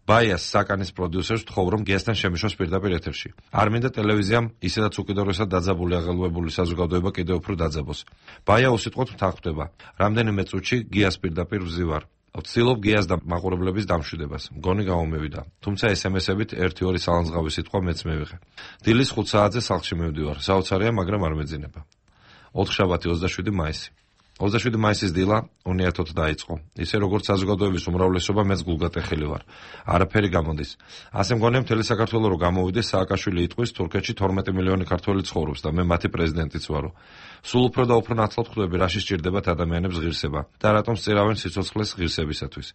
ბაიას საკანის პროდიუსერს ვთხოვ, რომ გიასთან შემიშვას პირდაპირ ეთერში. არ მინდა ტელევიზიამ ისედაც უკიდურესად დაძაბული აღელვებული საზოგადოება კიდევ უფრო დაძაბოს. ბაია უსიტყვოდ მთანხმდება. რამდენიმე წუთში გიას პირდაპირ ვზივარ. ვცდილობ გიას და მაყურებლების დამშვიდებას. მგონი გამომივიდა. თუმცა ეს ემ ესებით ერთი-ორი სალანძღავი სიტყვა მეც მივიღე. დილის ხუთ საათზე სახლში მივდივარ. საოცარია, მაგრამ არ მეძინება. ოთხშაბათი ოცდაშვიდი მაისი. ოცდაშვიდი მაისის დილა უნიათოდ დაიწყო. ისე როგორც საზოგადოების უმრავლესობა, მეც გულგატეხილი ვარ. არაფერი გამოდის. ასე მგონია მთელი საქართველო რო გამოვიდეს, სააკაშვილი იტყვის, თურქეთში თორმეტი მილიონი ქართველი ცხოვრობს და მე მათი პრეზიდენტიც ვარო. სულ უფრო და უფრო ნათლად ხვდები, რაში სჭირდებათ ადამიანებს ღირსება და რატომ სწირავენ სიცოცხლეს ღირსებისათვის.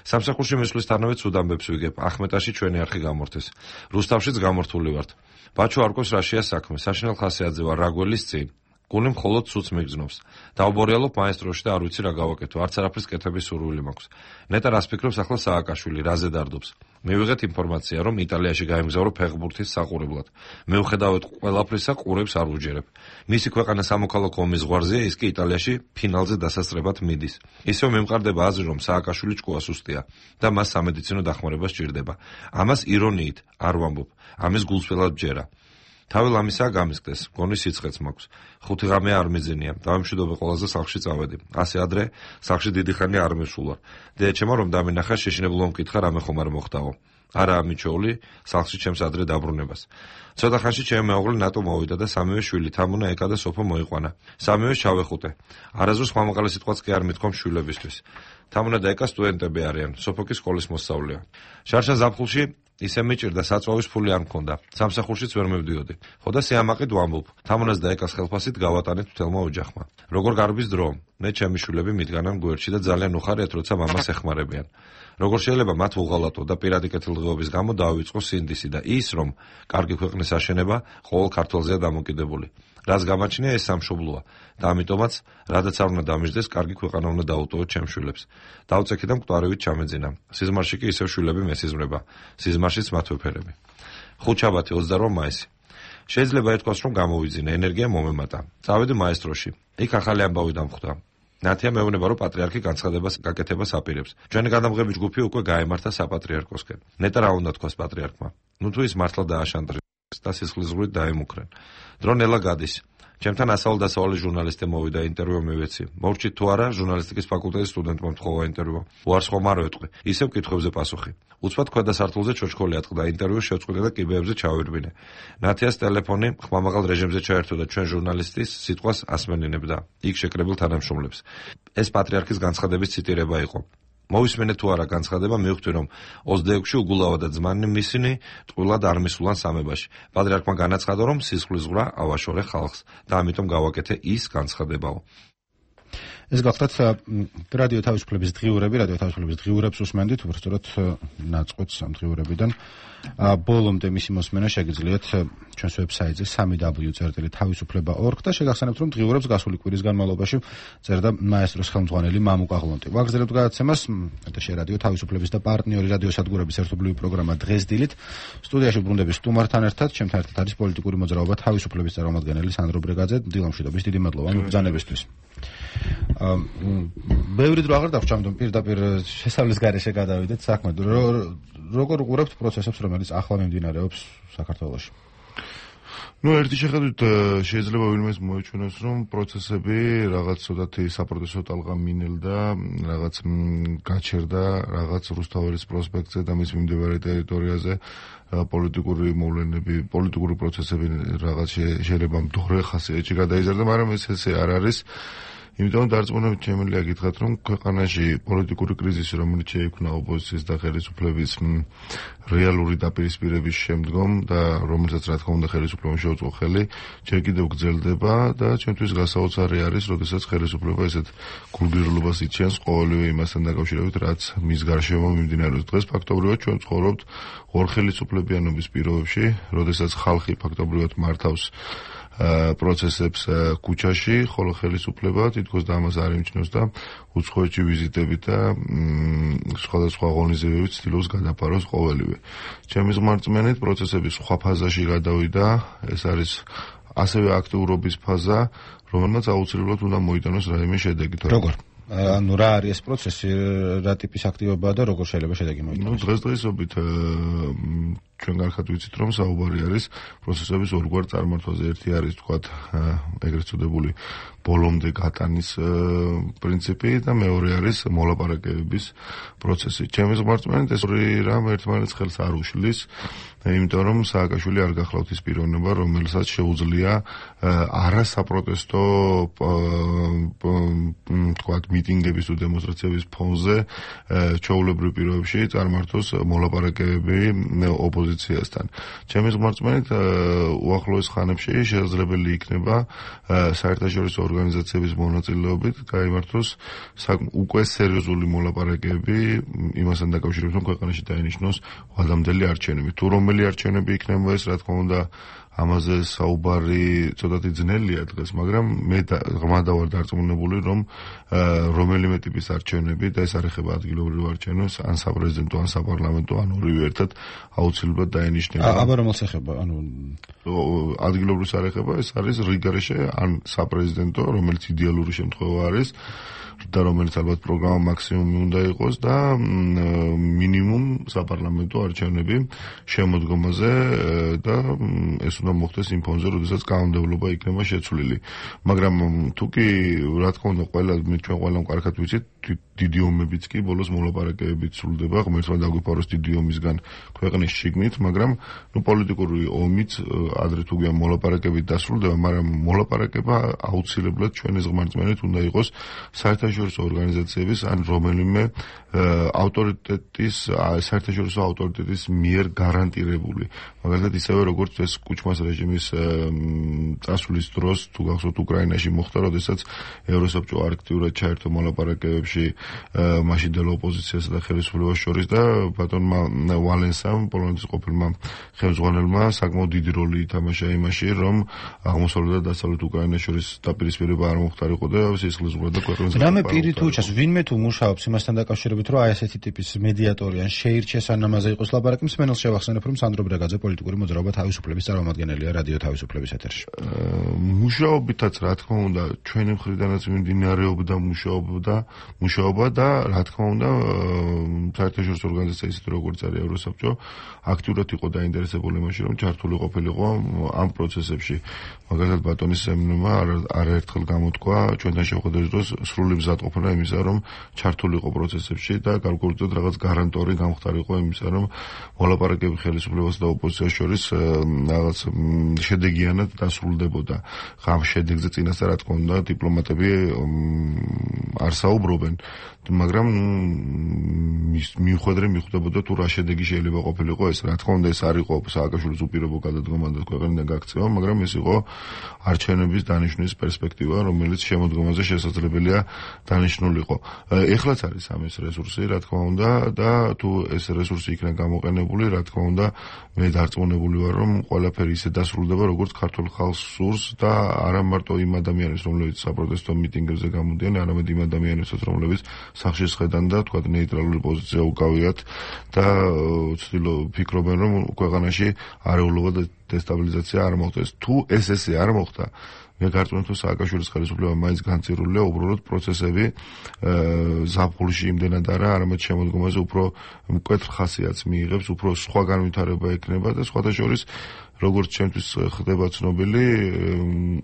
სამსახურში მისვლისთანავე ცუდ ამბებს ვიგებ. ახმეტაში ჩვენი არხი გამორთეს. რუსთავშიც გამორთული ვართ. ბაჩო არკოს რაშია საქმე. საშინელ ხასიათზე ვარ, რა გველის წინ. გული მხოლოდ ცუც მიგზნობს. დავბორიალობ მაესტროში და არ ვიცი რა გავაკეთო, არც არაფრის კეთების სურვილი მაქვს. ნეტა რას ფიქრობს ახლა სააკაშვილი, რაზე დარდობს? მივიღეთ ინფორმაცია, რომ იტალიაში გაემგზავრო ფეხბურთის საყურებლად. მივხედავთ ყველაფრისა, ყურებს არ უჯერებ. მისი ქვეყანა სამოქალაქო ომის ზღვარზეა, ის კი იტალიაში ფინალზე დასასწრებად მიდის. ისევ მიმყარდება აზრი, რომ სააკაშვილი ჭკუა სუსტია და მას სამედიცინო დახმარება სჭირდება. ამას ირონიით არ ვამბობ, ამის გულწრფელად ბჯერა. თავი ლამისაა გამისკდეს, მგონი სიცხეც მაქვს. ხუთი ღამე არ მიზენია, დავიმშვიდობე ყველაზე სახლში წავედი. ასე ადრე სახლში დიდი ხანი არ მივსულ ვარ. დედაჩემო რომ დამინახა, შეშინებულო მკითხა რამე ხომ არ მოხდაო. არაა მიჩოული სახლში ჩემს ადრე დაბრუნებას. ცოტა ხანში ჩემი მეუღლე ნატო მოვიდა და სამივე შვილი თამუნა ეკა და სოფო მოიყვანა. სამივე ჩავეხუტე. არასდროს ხმამაღალი სიტყვაც კი არ მithkom შვილებისთვის. თამუნა და ეკა სტუდენტები არიან, სოფო კი სკოლის მოსწავლეა. შარშა ზაფხულში ისე მიჭირდა საწვავის ფული არ მქონდა. სამსახურშიც ვერ მივდიოდი. ხო და სიამაყედ ვამბობ. თამუნას და ეკას ხელფასით გავატანეთ მთელმა ოჯახმა. როგორ გარბის დრო? მე ჩემი შვილები მიდგანან გვერდში და ძალიან უხარიათ, როცა მამას ეხმარებიან. როგორ შეიძლება მათ უღალატო და პირადი კეთილდღეობის გამო დაავიწყო სინდისი და ის, რომ კარგი ქვეყნის აშენება ყოველ ქართველზეა დამოკიდებული. რას გამაჩნია ეს სამშობლოა და ამიტომაც, რადგან არ უნდა დამიждდეს, კარგი ქვეყანა უნდა დაუტოვოთ ჩემს შვილებს. დავწექი და მკვდარივით ჩამეძინა. სიზმარში კი ისევ შვილები მესიზმრება. სიზმარშიც მათ ვეფერები. ხუთშაბათი ოცდაორი მაისი. შეიძლება ეთქვას, რომ გამოვიძინე, ენერგია მომემატა. წავედი მაესტროში. იქ ახალი ამბავი დამხვდა. ნათია მეუბნება, რომ პატრიარქი განცხადებას გაკეთებას აპირებს. ჩვენი გადამღები ჯგუფი უკვე გაემართა საპატრიარქოსკენ. ნეტა რა უნდა თქვას პატრიარქმა? ნუ თუ ის მართლა დააშანტრებს და სისხლისღვრით დაემუქრენ. დრო ნელა გადის. ჩემთან ასავალ-დასავალი ჟურნალისტი მოვიდა, ინტერვიუ მივეცი. მოვჭით თუ არა ჟურნალისტიკის ფაკულტეტის სტუდენტმა მთხოვა ინტერვიუ. უარსხომ არ ვეტყვი. ისევ კითხვებზე პასუხი. უცბად ქვედა სართულზე ჩოჩქოლი ატყდა, ინტერვიუ შევწყვიტე და კიბეებზე ჩავირბინე. ნათიას ტელეფონი ხმამაღალ რეჟიმზე ჩაერთო და ჩვენ ჟურნალისტის სიტყვას ასმენინებდა. იქ შეკრებილ თანამშრომლებს. ეს პატრიარქის განცხადების ციტირება იყო. მოვისმენეთ თუ არა განცხადება, მივხვდი რომ ოცდაექვსში უგულავა და ძმანი მისინი ტყუილად არ მისულან სამებაში. პატრიარქმა განაცხადა, რომ სისხლისღვრა ავაშორე ხალხს და ამიტომ გავაკეთე ის განცხადებაო. ეს გახლავთ რადიო თავისუფლების დღიურები, რადიო თავისუფლების დღიურებს უსმენდით, უბრალოდ ნაწყვეტს ამ დღიურებიდან. ბოლომდე მისი მოსმენა შეგიძლიათ ჩვენს ვებსაიტზე სამი დაბლიუ წერტილი თავისუფლება ორგ და შეგახსენებთ, რომ დღიურებს გასული კვირის განმავლობაში წერდა მაესტროს ხელმძღვანელი მამუკა ღლონტი. ვაგრძელებთ გადაცემას ეთერში რადიო თავისუფლების და პარტნიორი რადიო სადგურების ერთობლივი პროგრამა დღეს დილით. სტუდიაში ბრუნდები სტუმართან ერთად, ჩემთან ერთად არის პოლიტიკური მოძრაობა თავისუფლების წარმომადგენელი სანდრო ბრეგაძე. დილამშვიდობის, დიდი მადლობა ამ ბრძანებისთვის. ბევრი დრო აღარ დავრჩამდომ პირდაპირ შესავლის გარეშე გადავიდეთ საქმე. როგორ უყურებთ პროცესებს, რომელიც ახლა მიმდინარეობს საქართველოში? ну ერთი შეხედვით შეიძლება ვინმეს მოეჩვენოს, რომ პროცესები რაღაც ცოტათი საპროტესტო ტალღა მინელდა, რაღაც გაჩერდა, რაღაც რუსთაველის პროსპექტზე და მის მიმდებარე ტერიტორიაზე პოლიტიკური მოვლენები, პოლიტიკური პროცესები რაღაც შეიძლება მდორე ხასიათში გადაიზარდა, მაგრამ ეს ესე არ არის. იმიტომ დარწმუნებით შემიძლია გითხრათ, რომ ქვეყანაში პოლიტიკური კრიზისი, რომელიც შეიქმნა ოპოზიციის და ხელისუფლების რეალური დაპირისპირების შემდგომ და რომელსაც რა თქმა უნდა ხელისუფლებამ შეუწყო ხელი, ჯერ კიდევ გრძელდება და ჩვენთვის გასაოცარი არის, როდესაც ხელისუფლება ესეთ გულგრილობას იჩენს ყოველივე იმასთან დაკავშირებით, რაც მის გარშემო მიმდინარეობს. დღეს ფაქტობრივად ჩვენ ცხოვრობთ ორ ხელისუფლებიანობის პირობებში, როდესაც ხალხი ფაქტობრივად მართავს პროცესებს ქუჩაში, ხოლო ხელისუფლება თითქოს და ამას არ იმჩნევს და უცხოეთში ვიზიტებით და სხვადასხვა ღონისძიებებით ცდილობს გადაფაროს ყოველივე. ჩემი ზმარწმენით პროცესები სხვა ფაზაში გადავიდა, ეს არის ასევე აქტიურობის ფაზა, რომელმაც აუცილებლად უნდა მოიტანოს რაიმე შედეგი. როგორ? ანუ რა არის ეს პროცესი, რა ტიპის აქტივობაა და როგორ შეიძლება შედეგი მოიტანოს? ну დღესდღეობით ჩვენ გარხად ვიცით, რომ საუბარი არის პროცესების ორგვარ წარმართვაზე. ერთი არის თქვათ ეგრეთ წოდებული ბოლომდე გატანის პრინციპი და მეორე არის მოლაპარაკებების პროცესი. ჩემი ზმარწმენით ეს ორი რამ ერთმანეთს ხელს არ უშლის, იმიტომ რომ სააკაშვილი არ გახლავთ ის პიროვნება, რომელსაც შეუძლია არასაპროტესტო თქვათ მიტინგების თუ დემონსტრაციების ფონზე ჩვეულებრივ პირობებში წარმართოს მოლაპარაკებები ოპოზიციასთან. ჩემი ზმარწმენით უახლოეს ხანებში შესაძლებელი იქნება საერთაშორისო ორგანიზაციების მონაწილეობით გაიმართოს უკვე სერიოზული მოლაპარაკებები იმასთან დაკავშირებით, რომ ქვეყანაში დაინიშნოს ვალამდელი არჩევნები. თუ რომელი არჩევნები იქნება ეს, რა თქმა უნდა, ამაზე საუბარი ცოტათი ძნელია დღეს, მაგრამ მე ღრმად ვარ დარწმუნებული, რომ რომელიმე ტიპის არჩევნები და ეს არ ეხება ადგილობრივ არჩევნებს, ან საპრეზიდენტო, ან საპარლამენტო, ან ორივე ერთად აუცილებლად დაენიშნება. აბა რომელს ეხება? ანუ ადგილობრივს არ ეხება, ეს არის რიგარეშე ან საპრეზიდენტო, რომელიც იდეალური შემთხვევა არის და რომელიც ალბათ პროგრამა მაქსიმუმი უნდა იყოს და მინიმუმ საპარლამენტო არჩევნები შემოდგომაზე და ეს უნდა მოხდეს იმ ფონზე, როდესაც კანონმდებლობა იქნება შეცვლილი. მაგრამ თუ კი რა თქმა უნდა ყველა ჩვენ ყველამ კარგად ვიცით, დიდი ომებიც კი ბოლოს მოლაპარაკებებით სრულდება, ღმერთმა დაგვიფაროს დიდი ომისგან ქვეყნის შიგნით, მაგრამ ნუ პოლიტიკური ომიც ადრე თუ გვიან მოლაპარაკებით დასრულდება, მაგრამ მოლაპარაკება აუცილებლად ჩვენი ღმერთმენით უნდა იყოს საერთაშორისო ორგანიზაციების ან რომელიმე ავტორიტეტის, საერთაშორისო ავტორიტეტის მიერ გარანტირებული. მაგალითად ისევე როგორც ეს კუჩმას რეჟიმის წასვლის დროს თუ გახსოვთ უკრაინაში მოხდა, როდესაც ევროსაბჭო აქტიურად ჩაერთო მოლაპარაკებებში მაშინდელ ოპოზიციასა და ხელისუფლებას შორის და ბატონმა ვალენსამ, პოლონეთის ყოფილმა ხელმძღვანელმა საკმაოდ დიდი როლი ითამაშა იმაში, რომ აღმოსავლეთ და დასავლეთ უკრაინას შორის დაპირისპირება არ მოხდარიყო და სისხლისღვრა და ქვეყნის რამე პირი თუ ჩას, ვინმე თუ მუშაობს იმასთან დაკავშირებით, რომ აი ესეთი ტიპის მედიატორი ან შეირჩეს ან ამაზე იყოს ლაპარაკი, მსმენელს შევახსენებ, რომ სანდრო ბრეგაძე პოლიტიკური მოძრაობა თავისუფლების წარმომადგენელია რადიო თავისუფლების ეთერში. მუშაობითაც რა თქმა უნდა, ჩვენი მხრიდანაც მიმდინარეობდა მუშაობა, მუშაობა და რა თქმა უნდა, საერთაშორისო ორგანიზაცია ისეთი როგორც არის ევროსაბჭო, აქტიურად იყო დაინტერესებული იმაში, რომ ჩართული ყოფილიყო ამ პროცესებში. მაგალითად ბატონის სემნმა არაერთხელ გამოთქვა ჩვენთან შეხვედრის დროს სრული მზადყოფნა იმისა, რომ ჩართულიყო პროცესებში და გარკვეულწილად რაღაც გარანტორი გამხდარიყო იმისა, რომ მოლაპარაკები ხელისუფლებას და ოპოზიციას შორის რაღაც შედეგიანად დასრულდებოდა. ამ შედეგზე წინასწარ რა თქმა უნდა დიპლომატები არ საუბრობენ, მაგრამ მიუხედავად მიხვდებოდა თუ რა შედეგი შეიძლება ყოფილიყო ეს. რა თქმა უნდა ეს არ იყო სააკაშვილის უპირობო გადადგომა და ქვეყნიდან გაქცევა, მაგრამ ეს იყო არჩევნების დანიშვნის პერსპექტივა, რომელიც შემოდგომაზე შესაძლებელია დანიშნულიყო. ეხლაც არის ამის რესურსი, რა თქმა უნდა, და თუ ეს რესურსი იქნება გამოყენებული, რა თქმა უნდა, მე დარწმუნებული ვარ, რომ ყველაფერი ისე დასრულდება, როგორც ქართულ ხალხს სურს და არა მარტო იმ ადამიანებს, რომლებიც საპროტესტო მიტინგებზე გამოდიან, არამედ იმ ადამიანებსაც, რომლებიც სახში შედან და თქვა ნეიტრალური პოზიცია უკავიათ და ცდილობ ფიქრობენ, რომ ქვეყანაში არეულობა და დესტაბილიზაცია არ მოხდეს. თუ ეს ესე არ მოხდა, მე გარწმუნებთ, რომ სააკაშვილის ხელისუფლება მაინც განცირულია, უბრალოდ პროცესები ზაფხულში იმდენად არა, არამედ შემოდგომაზე უფრო მკვეთრ ხასიათს მიიღებს, უფრო სხვა განვითარება ექნება და სხვათა შორის როგორც ჩვენთვის ხდება ცნობილი,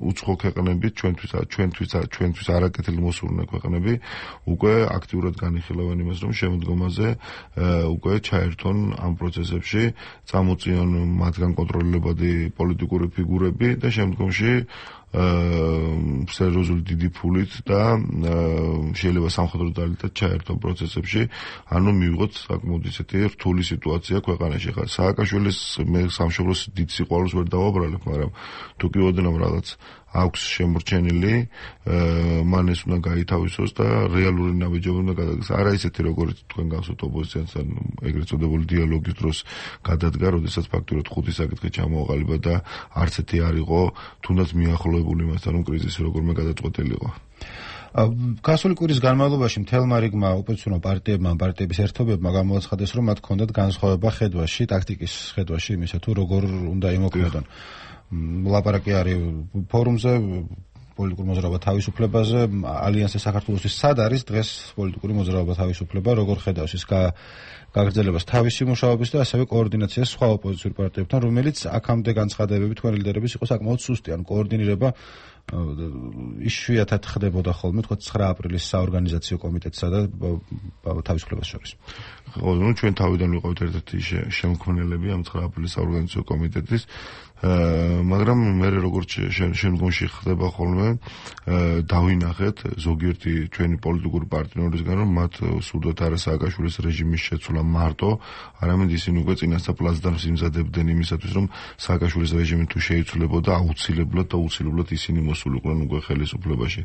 უცხო ქვეყნები, ჩვენთვის ჩვენთვის ჩვენთვის არაკეთილი მოსურნე ქვეყნები უკვე აქტიურად განიხილავენ იმას, რომ შემოდგომაზე უკვე ჩაერთონ ამ პროცესებში, წამოწიონ მათგან კონტროლებადი პოლიტიკური ფიგურები და შემდგომში სერიოზული დიდი ფულით და შეიძლება სამხედრო ძალითაც ჩაერთონ პროცესებში, ანუ მივიღოთ საკმაოდ ისეთი რთული სიტუაცია ქვეყანაში. ხა სააკაშვილის მე სამშობლოს დიდ სიყვარულს ვერ დავაბრალებ, მაგრამ თუ კი ოდნავ რაღაც აქვს შემორჩენილი, მან ეს უნდა გაითავისოს და რეალური ნაბიჯები უნდა გადადგეს. არა ისეთი როგორც თქვენ გახსოვთ ოპოზიციასთან ეგრეთ წოდებული დიალოგის დროს გადადგა, როდესაც ფაქტურად ხუთი საკითხი ჩამოაყალიბა და არც ერთი არ იყო თუნდაც მიახლოებული იმასთან, რომ კრიზისი როგორმე გადაწყვეტილიყო. გასული კვირის განმავლობაში მთელმა რიგმა ოპოზიციურ პარტიებმა, პარტიების ერთობებმა გამოაცხადეს, რომ მათ ჰქონდათ განსხვავება ხედვაში, ტაქტიკის ხედვაში იმისა, თუ როგორ უნდა იმოქმედონ. ლაპარაკი არის ფორუმზე, პოლიტიკური მოძრაობა თავისუფლებაზე, ალიანსი საქართველოსთვის სად არის დღეს პოლიტიკური მოძრაობა თავისუფლება, როგორ ხედავს ის გაგრძელებას თავისი მუშაობის და ასევე კოორდინაციას სხვა ოპოზიციურ პარტიებთან, რომელიც აქამდე განცხადებები თქვენ ლიდერების იყო საკმაოდ სუსტი, ან კოორდინირება იშვიათად ხდებოდა ხოლმე, თქვა ცხრა აპრილის საორგანიზაციო კომიტეტსა და თავისუფლებას შორის. ხო, ნუ ჩვენ თავიდან ვიყავით ერთ-ერთი შემქმნელები ამ ცხრა აპრილის საორგანიზაციო კომიტეტის, მაგრამ მე როგორც შემდგომში ხდება ხოლმე, დავინახეთ ზოგიერთი ჩვენი პოლიტიკური პარტნიორისგან, რომ მათ სურდათ არა სააკაშვილის რეჟიმის შეცვლა მარტო, არამედ ისინი უკვე წინასწარ პლაცდარმს იმზადებდნენ იმისათვის, რომ სააკაშვილის რეჟიმი თუ შეიცვლებოდა, აუცილებლად და აუცილებლად ისინი მოსულიყვნენ უკვე ხელისუფლებაში.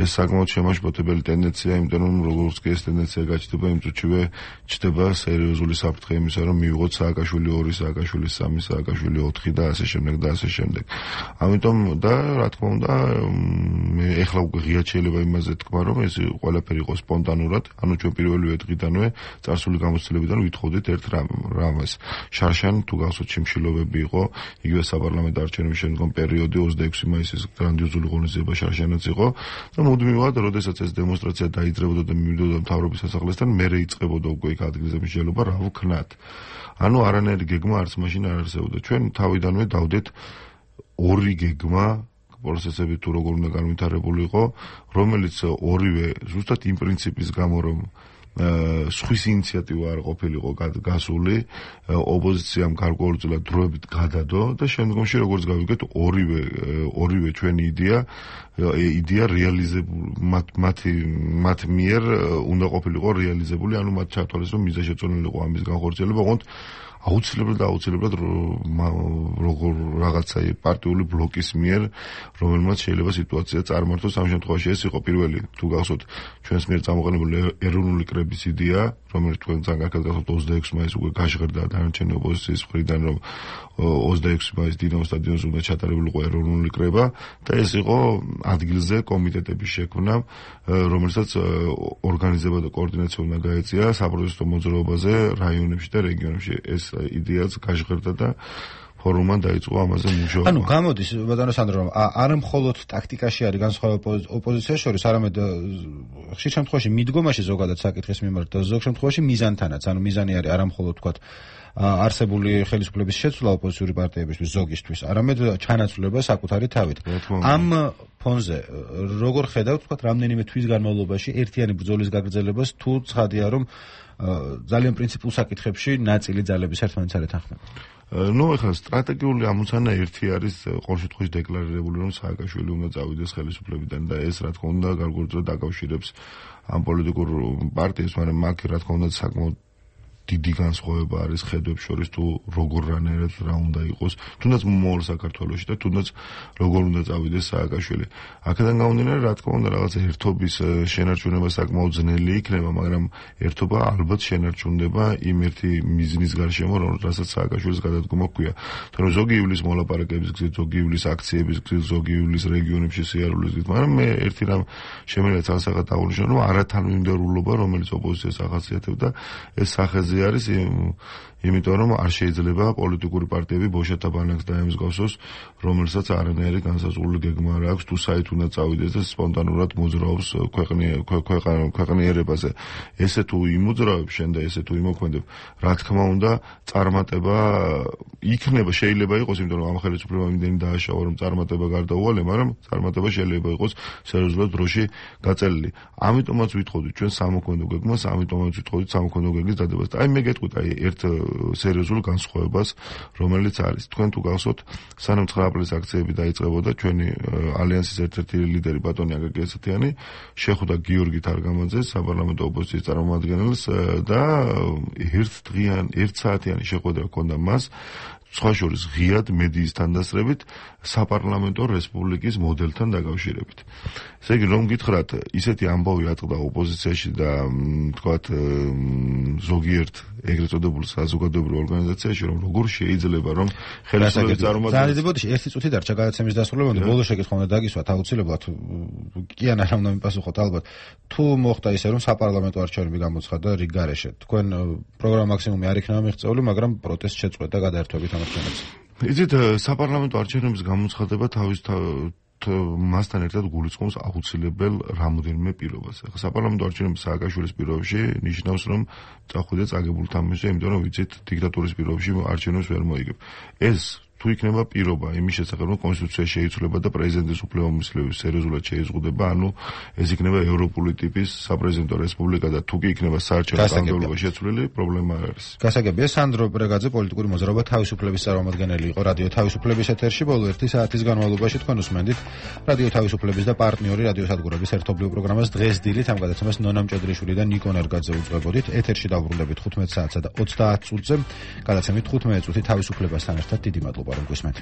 ეს საკმაოდ შემაშფოთებელი ტენდენცია, იმიტომ რომ როგორც კი ეს ტენდენცია გაჩნდება, იმ წუთშივე ჩნდება სერიოზული საფრთხე იმისა, რომ მივიღოთ სააკაშვილი ორი, სააკაშვილი სამი, სააკაშვილი ოთხი და ასე შემდეგ და ასე შემდეგ. ამიტომ და რა თქმა უნდა მე ეხლა უკვე ღიად შეიძლება იმაზე თქვა რომ ეს ყველაფერი იყო სპონტანურად, ანუ ჩვენ პირველივე დღიდანვე წარსული გამოცდილებიდან ვითხოვდით ერთ რამას. შარშან თუ გახსოვთ შიმშილობები იყო, იგივე საპარლამენტო არჩევნების შემდგომ პერიოდი ოცდაექვსი მაისის გრანდიოზული ღონისძიება შარშანაც იყო და მუდმივად, როდესაც ეს დემონსტრაცია დაიძრებოდა და მივიდოდა მთავრობის სასახლესთან, მერე იწყებოდა უკვე იქ ადგილზე მსჯელობა, რა ვქნათ. ანუ არანაირი გეგმა არც მაშინ არ არსებობდა. ჩვენ თავიდანვე დავდეთ ორი გეგმა პროცესები თუ როგორ უნდა განვითარებული იყო, რომელიც ორივე ზუსტად იმ პრინციპის გამო რომ სხვის ინიციატივა არ ყოფილიყო გასული, ოპოზიციამ გარკვეულწილად დროებით გადადო და შემდგომში როგორც გავიგეთ ორივე ორივე ჩვენი იდეა იდეა რეალიზებული მათი მათ მიერ უნდა ყოფილიყო რეალიზებული, ანუ მათ ჩათვალეს რომ მიზანშეწონილი იყო ამის განხორციელება, ოღონდ აუცილებლად და აუცილებლად როგორ რაღაცა პარტიული ბლოკის მიერ, რომელმაც შეიძლება სიტუაცია წარმართოს. ამ შემთხვევაში ეს იყო პირველი, თუ გახსოვთ, ჩვენს მიერ წამოყენებული ეროვნული კრების იდეა, რომელიც თქვენ ძალიან კარგად გახსოვთ ოცდაექვსი მაისს უკვე გაშღერდა დანარჩენი ოპოზიციის მხრიდან, რომ ოცდაექვსი მაისს დინამო სტადიონზე უნდა ჩატარებულიყო ეროვნული კრება და ეს იყო ადგილზე კომიტეტების შექმნა, რომელსაც ორგანიზება და კოორდინაცია უნდა გაეწია საპროტესტო მოძრაობაზე რაიონებში და რეგიონებში. ეს იდეაც გაშღერდა და ფორუმმა დაიწყო ამაზე მუშაობა. ანუ გამოდის ბატონო სანდრო რომ არა მხოლოდ ტაქტიკაში არის განსხვავება ოპოზიციას შორის, არამედ ხშირ შემთხვევაში მიდგომაში ზოგადად საკითხის მიმართ და ზოგ შემთხვევაში მიზანთანაც. ანუ მიზანი არის არა მხოლოდ თქვათ არსებული ხელისუფლების შეცვლა ოპოზიციური პარტიებისთვის ზოგისთვის, არამედ ჩანაცვლება საკუთარი თავით. ამ ფონზე როგორ ხედავთ თქვათ რამდენიმე თვის განმავლობაში ერთიანი ბრძოლის გაგრძელებას, თუ ცხადია რომ ძალიან პრინციპულ საკითხებში ნაწილი ძალების ერთმანეთს არ ეთანხმება? ნუ ეხლა სტრატეგიული ამოცანა ერთი არის ყოველ შემთხვევაში დეკლარირებული, რომ სააკაშვილი უნდა წავიდეს ხელისუფლებიდან და ეს რა თქმა უნდა გარკვეულწილად დაკავშირებს ამ პოლიტიკურ პარტიებს, მაგრამ მაგ რა თქმა უნდა საკმაოდ დიდი განსხვავება არის ხედვებს შორის თუ როგორ რანაირად რა უნდა იყოს, თუნდაც მომავალ საქართველოში და თუნდაც როგორ უნდა წავიდეს სააკაშვილი. აქედან გამომდინარე, რა თქმა უნდა, რაღაც ერთობის შენარჩუნება საკმაოდ ძნელი იქნება, მაგრამ ერთობა ალბათ შენარჩუნდება იმ ერთი მიზნის გარშემო, რომელსაც სააკაშვილის გადადგომა ჰქვია. თორემ ზოგი ივლის მოლაპარაკების გზით, ზოგი ივლის აქციების გზით, ზოგი ივლის რეგიონებში სიარულის გზით, მაგრამ მე ერთი რამ შემიძლია ცალსახად დავუნიშნო, რომ არათანმიმდევრულობა, რომელიც ოპოზიციას ახასიათებდა, ეს სახეზე არის იმიტომ რომ არ შეიძლება პოლიტიკური პარტიები ბოშათა ბანაკს დაემსგავსოს, რომელსაც არანაირი განსაზღვრული გეგმა არ აქვს თუ საით უნდა წავიდეს და სპონტანურად მოძრაობს ქვეყნიერებაზე. ესე თუ იმოძრავებ შენ და ესე თუ იმოქმედებ, რა თქმა უნდა წარმატება იქნება, შეიძლება იყოს, იმიტომ რომ ამ ხელისუფლებამ იმდენი დააშავა, რომ წარმატება გარდაუვალე, მაგრამ წარმატება შეიძლება იყოს სერიოზულად დროში გაწელილი. ამიტომაც ვითხოვდით ჩვენ სამოქმედო გეგმას, ამიტომაც ვითხოვდით სამოქმედო გეგმის დადებას. აი მე გეტყვით აი ერთ სერიოზულ განსხვავებას, რომელიც არის. თქვენ თუ გახსოვთ, სანამ ცხრა აპრილის აქციები დაიწყებოდა, ჩვენი ალიანსის ერთ-ერთი ლიდერი ბატონი აკაკი ესათიანი შეხვდა გიორგი თარგამაძეს, საპარლამენტო ოპოზიციის წარმომადგენელს და ერთ დღიან, ერთ საათიანი შეხვედრა ჰქონდა მას, სხვა შორის ღიად მედიის თანდასწრებით საპარლამენტო რესპუბლიკის მოდელთან დაკავშირებით. ესე იგი, რომ გითხრათ, ისეთი ამბავი ატყდა ოპოზიციაში და თქვათ ზოგიერთ ეგრეთ წოდებულ საზოგადოებრივ ორგანიზაციაში, რომ როგორ შეიძლება რომ ხელისუფლების წარმომადგენელი ზანდებოდი ერთი წუთი დარჩა გადაცემის დასრულებამდე, ბოლოს შეკითხვა უნდა დაგისვათ აუცილებლად. კი ან არა უნდა მიპასუხოთ ალბათ. თუ მოხდა ისე, რომ საპარლამენტო არჩევნები გამოცხადდა რიგ გარეშე, თქვენ პროგრამა მაქსიმუმი არ იქნება მიღწეული, მაგრამ პროტესტ შეწყვეტ და გადაერთვებით ამ არჩევნებს. იცით, საპარლამენტო არჩევნების გამოცხადება თავის მასთან ერთად გულისხმობს აუცილებელ რამოდენიმე პირობას. ახლა საპარლამენტო არჩევნების სააკაშვილის პირობებში ნიშნავს, რომ წახვიდე წაგებულ თამაშზე, იმიტომ რომ ვიცით, დიქტატურის პირობებში არჩევნებს ვერ მოიგებ. ეს თუ იქნება პირობა იმის შესახებ, რომ კონსტიტუცია შეიცვლება და პრეზიდენტის უფლებამოსილების სერიოზულად შეიზღუდება, ანუ ეს იქნება ევროპული ტიპის საპრეზიდენტო რესპუბლიკა და თუ კი იქნება საარჩევნო კანონმდებლობა შეცვლილი, პრობლემა არ არის. გასაგებია, სანდრო ბრეგაძე პოლიტიკური მოძრაობა თავისუფლების წარმომადგენელი იყო რადიო თავისუფლების ეთერში ბოლო ერთი საათის განმავლობაში. თქვენ უსმენდით რადიო თავისუფლების და პარტნიორი რადიო სადგურების ერთობლივ პროგრამას დღეს დილით ამ გადაცემას ნონა მჭედრიშვილი და ნიკო ნერგაძე უძღვებოდით. ეთერში დავბრუნდებით ხუთმეტ საათსა და ოცდაათ წუთზე. გადაცემით ხუთმეტ წუთი თავისუფლებასთან ერთად დიდი მადლობა რომ გვისმენთ.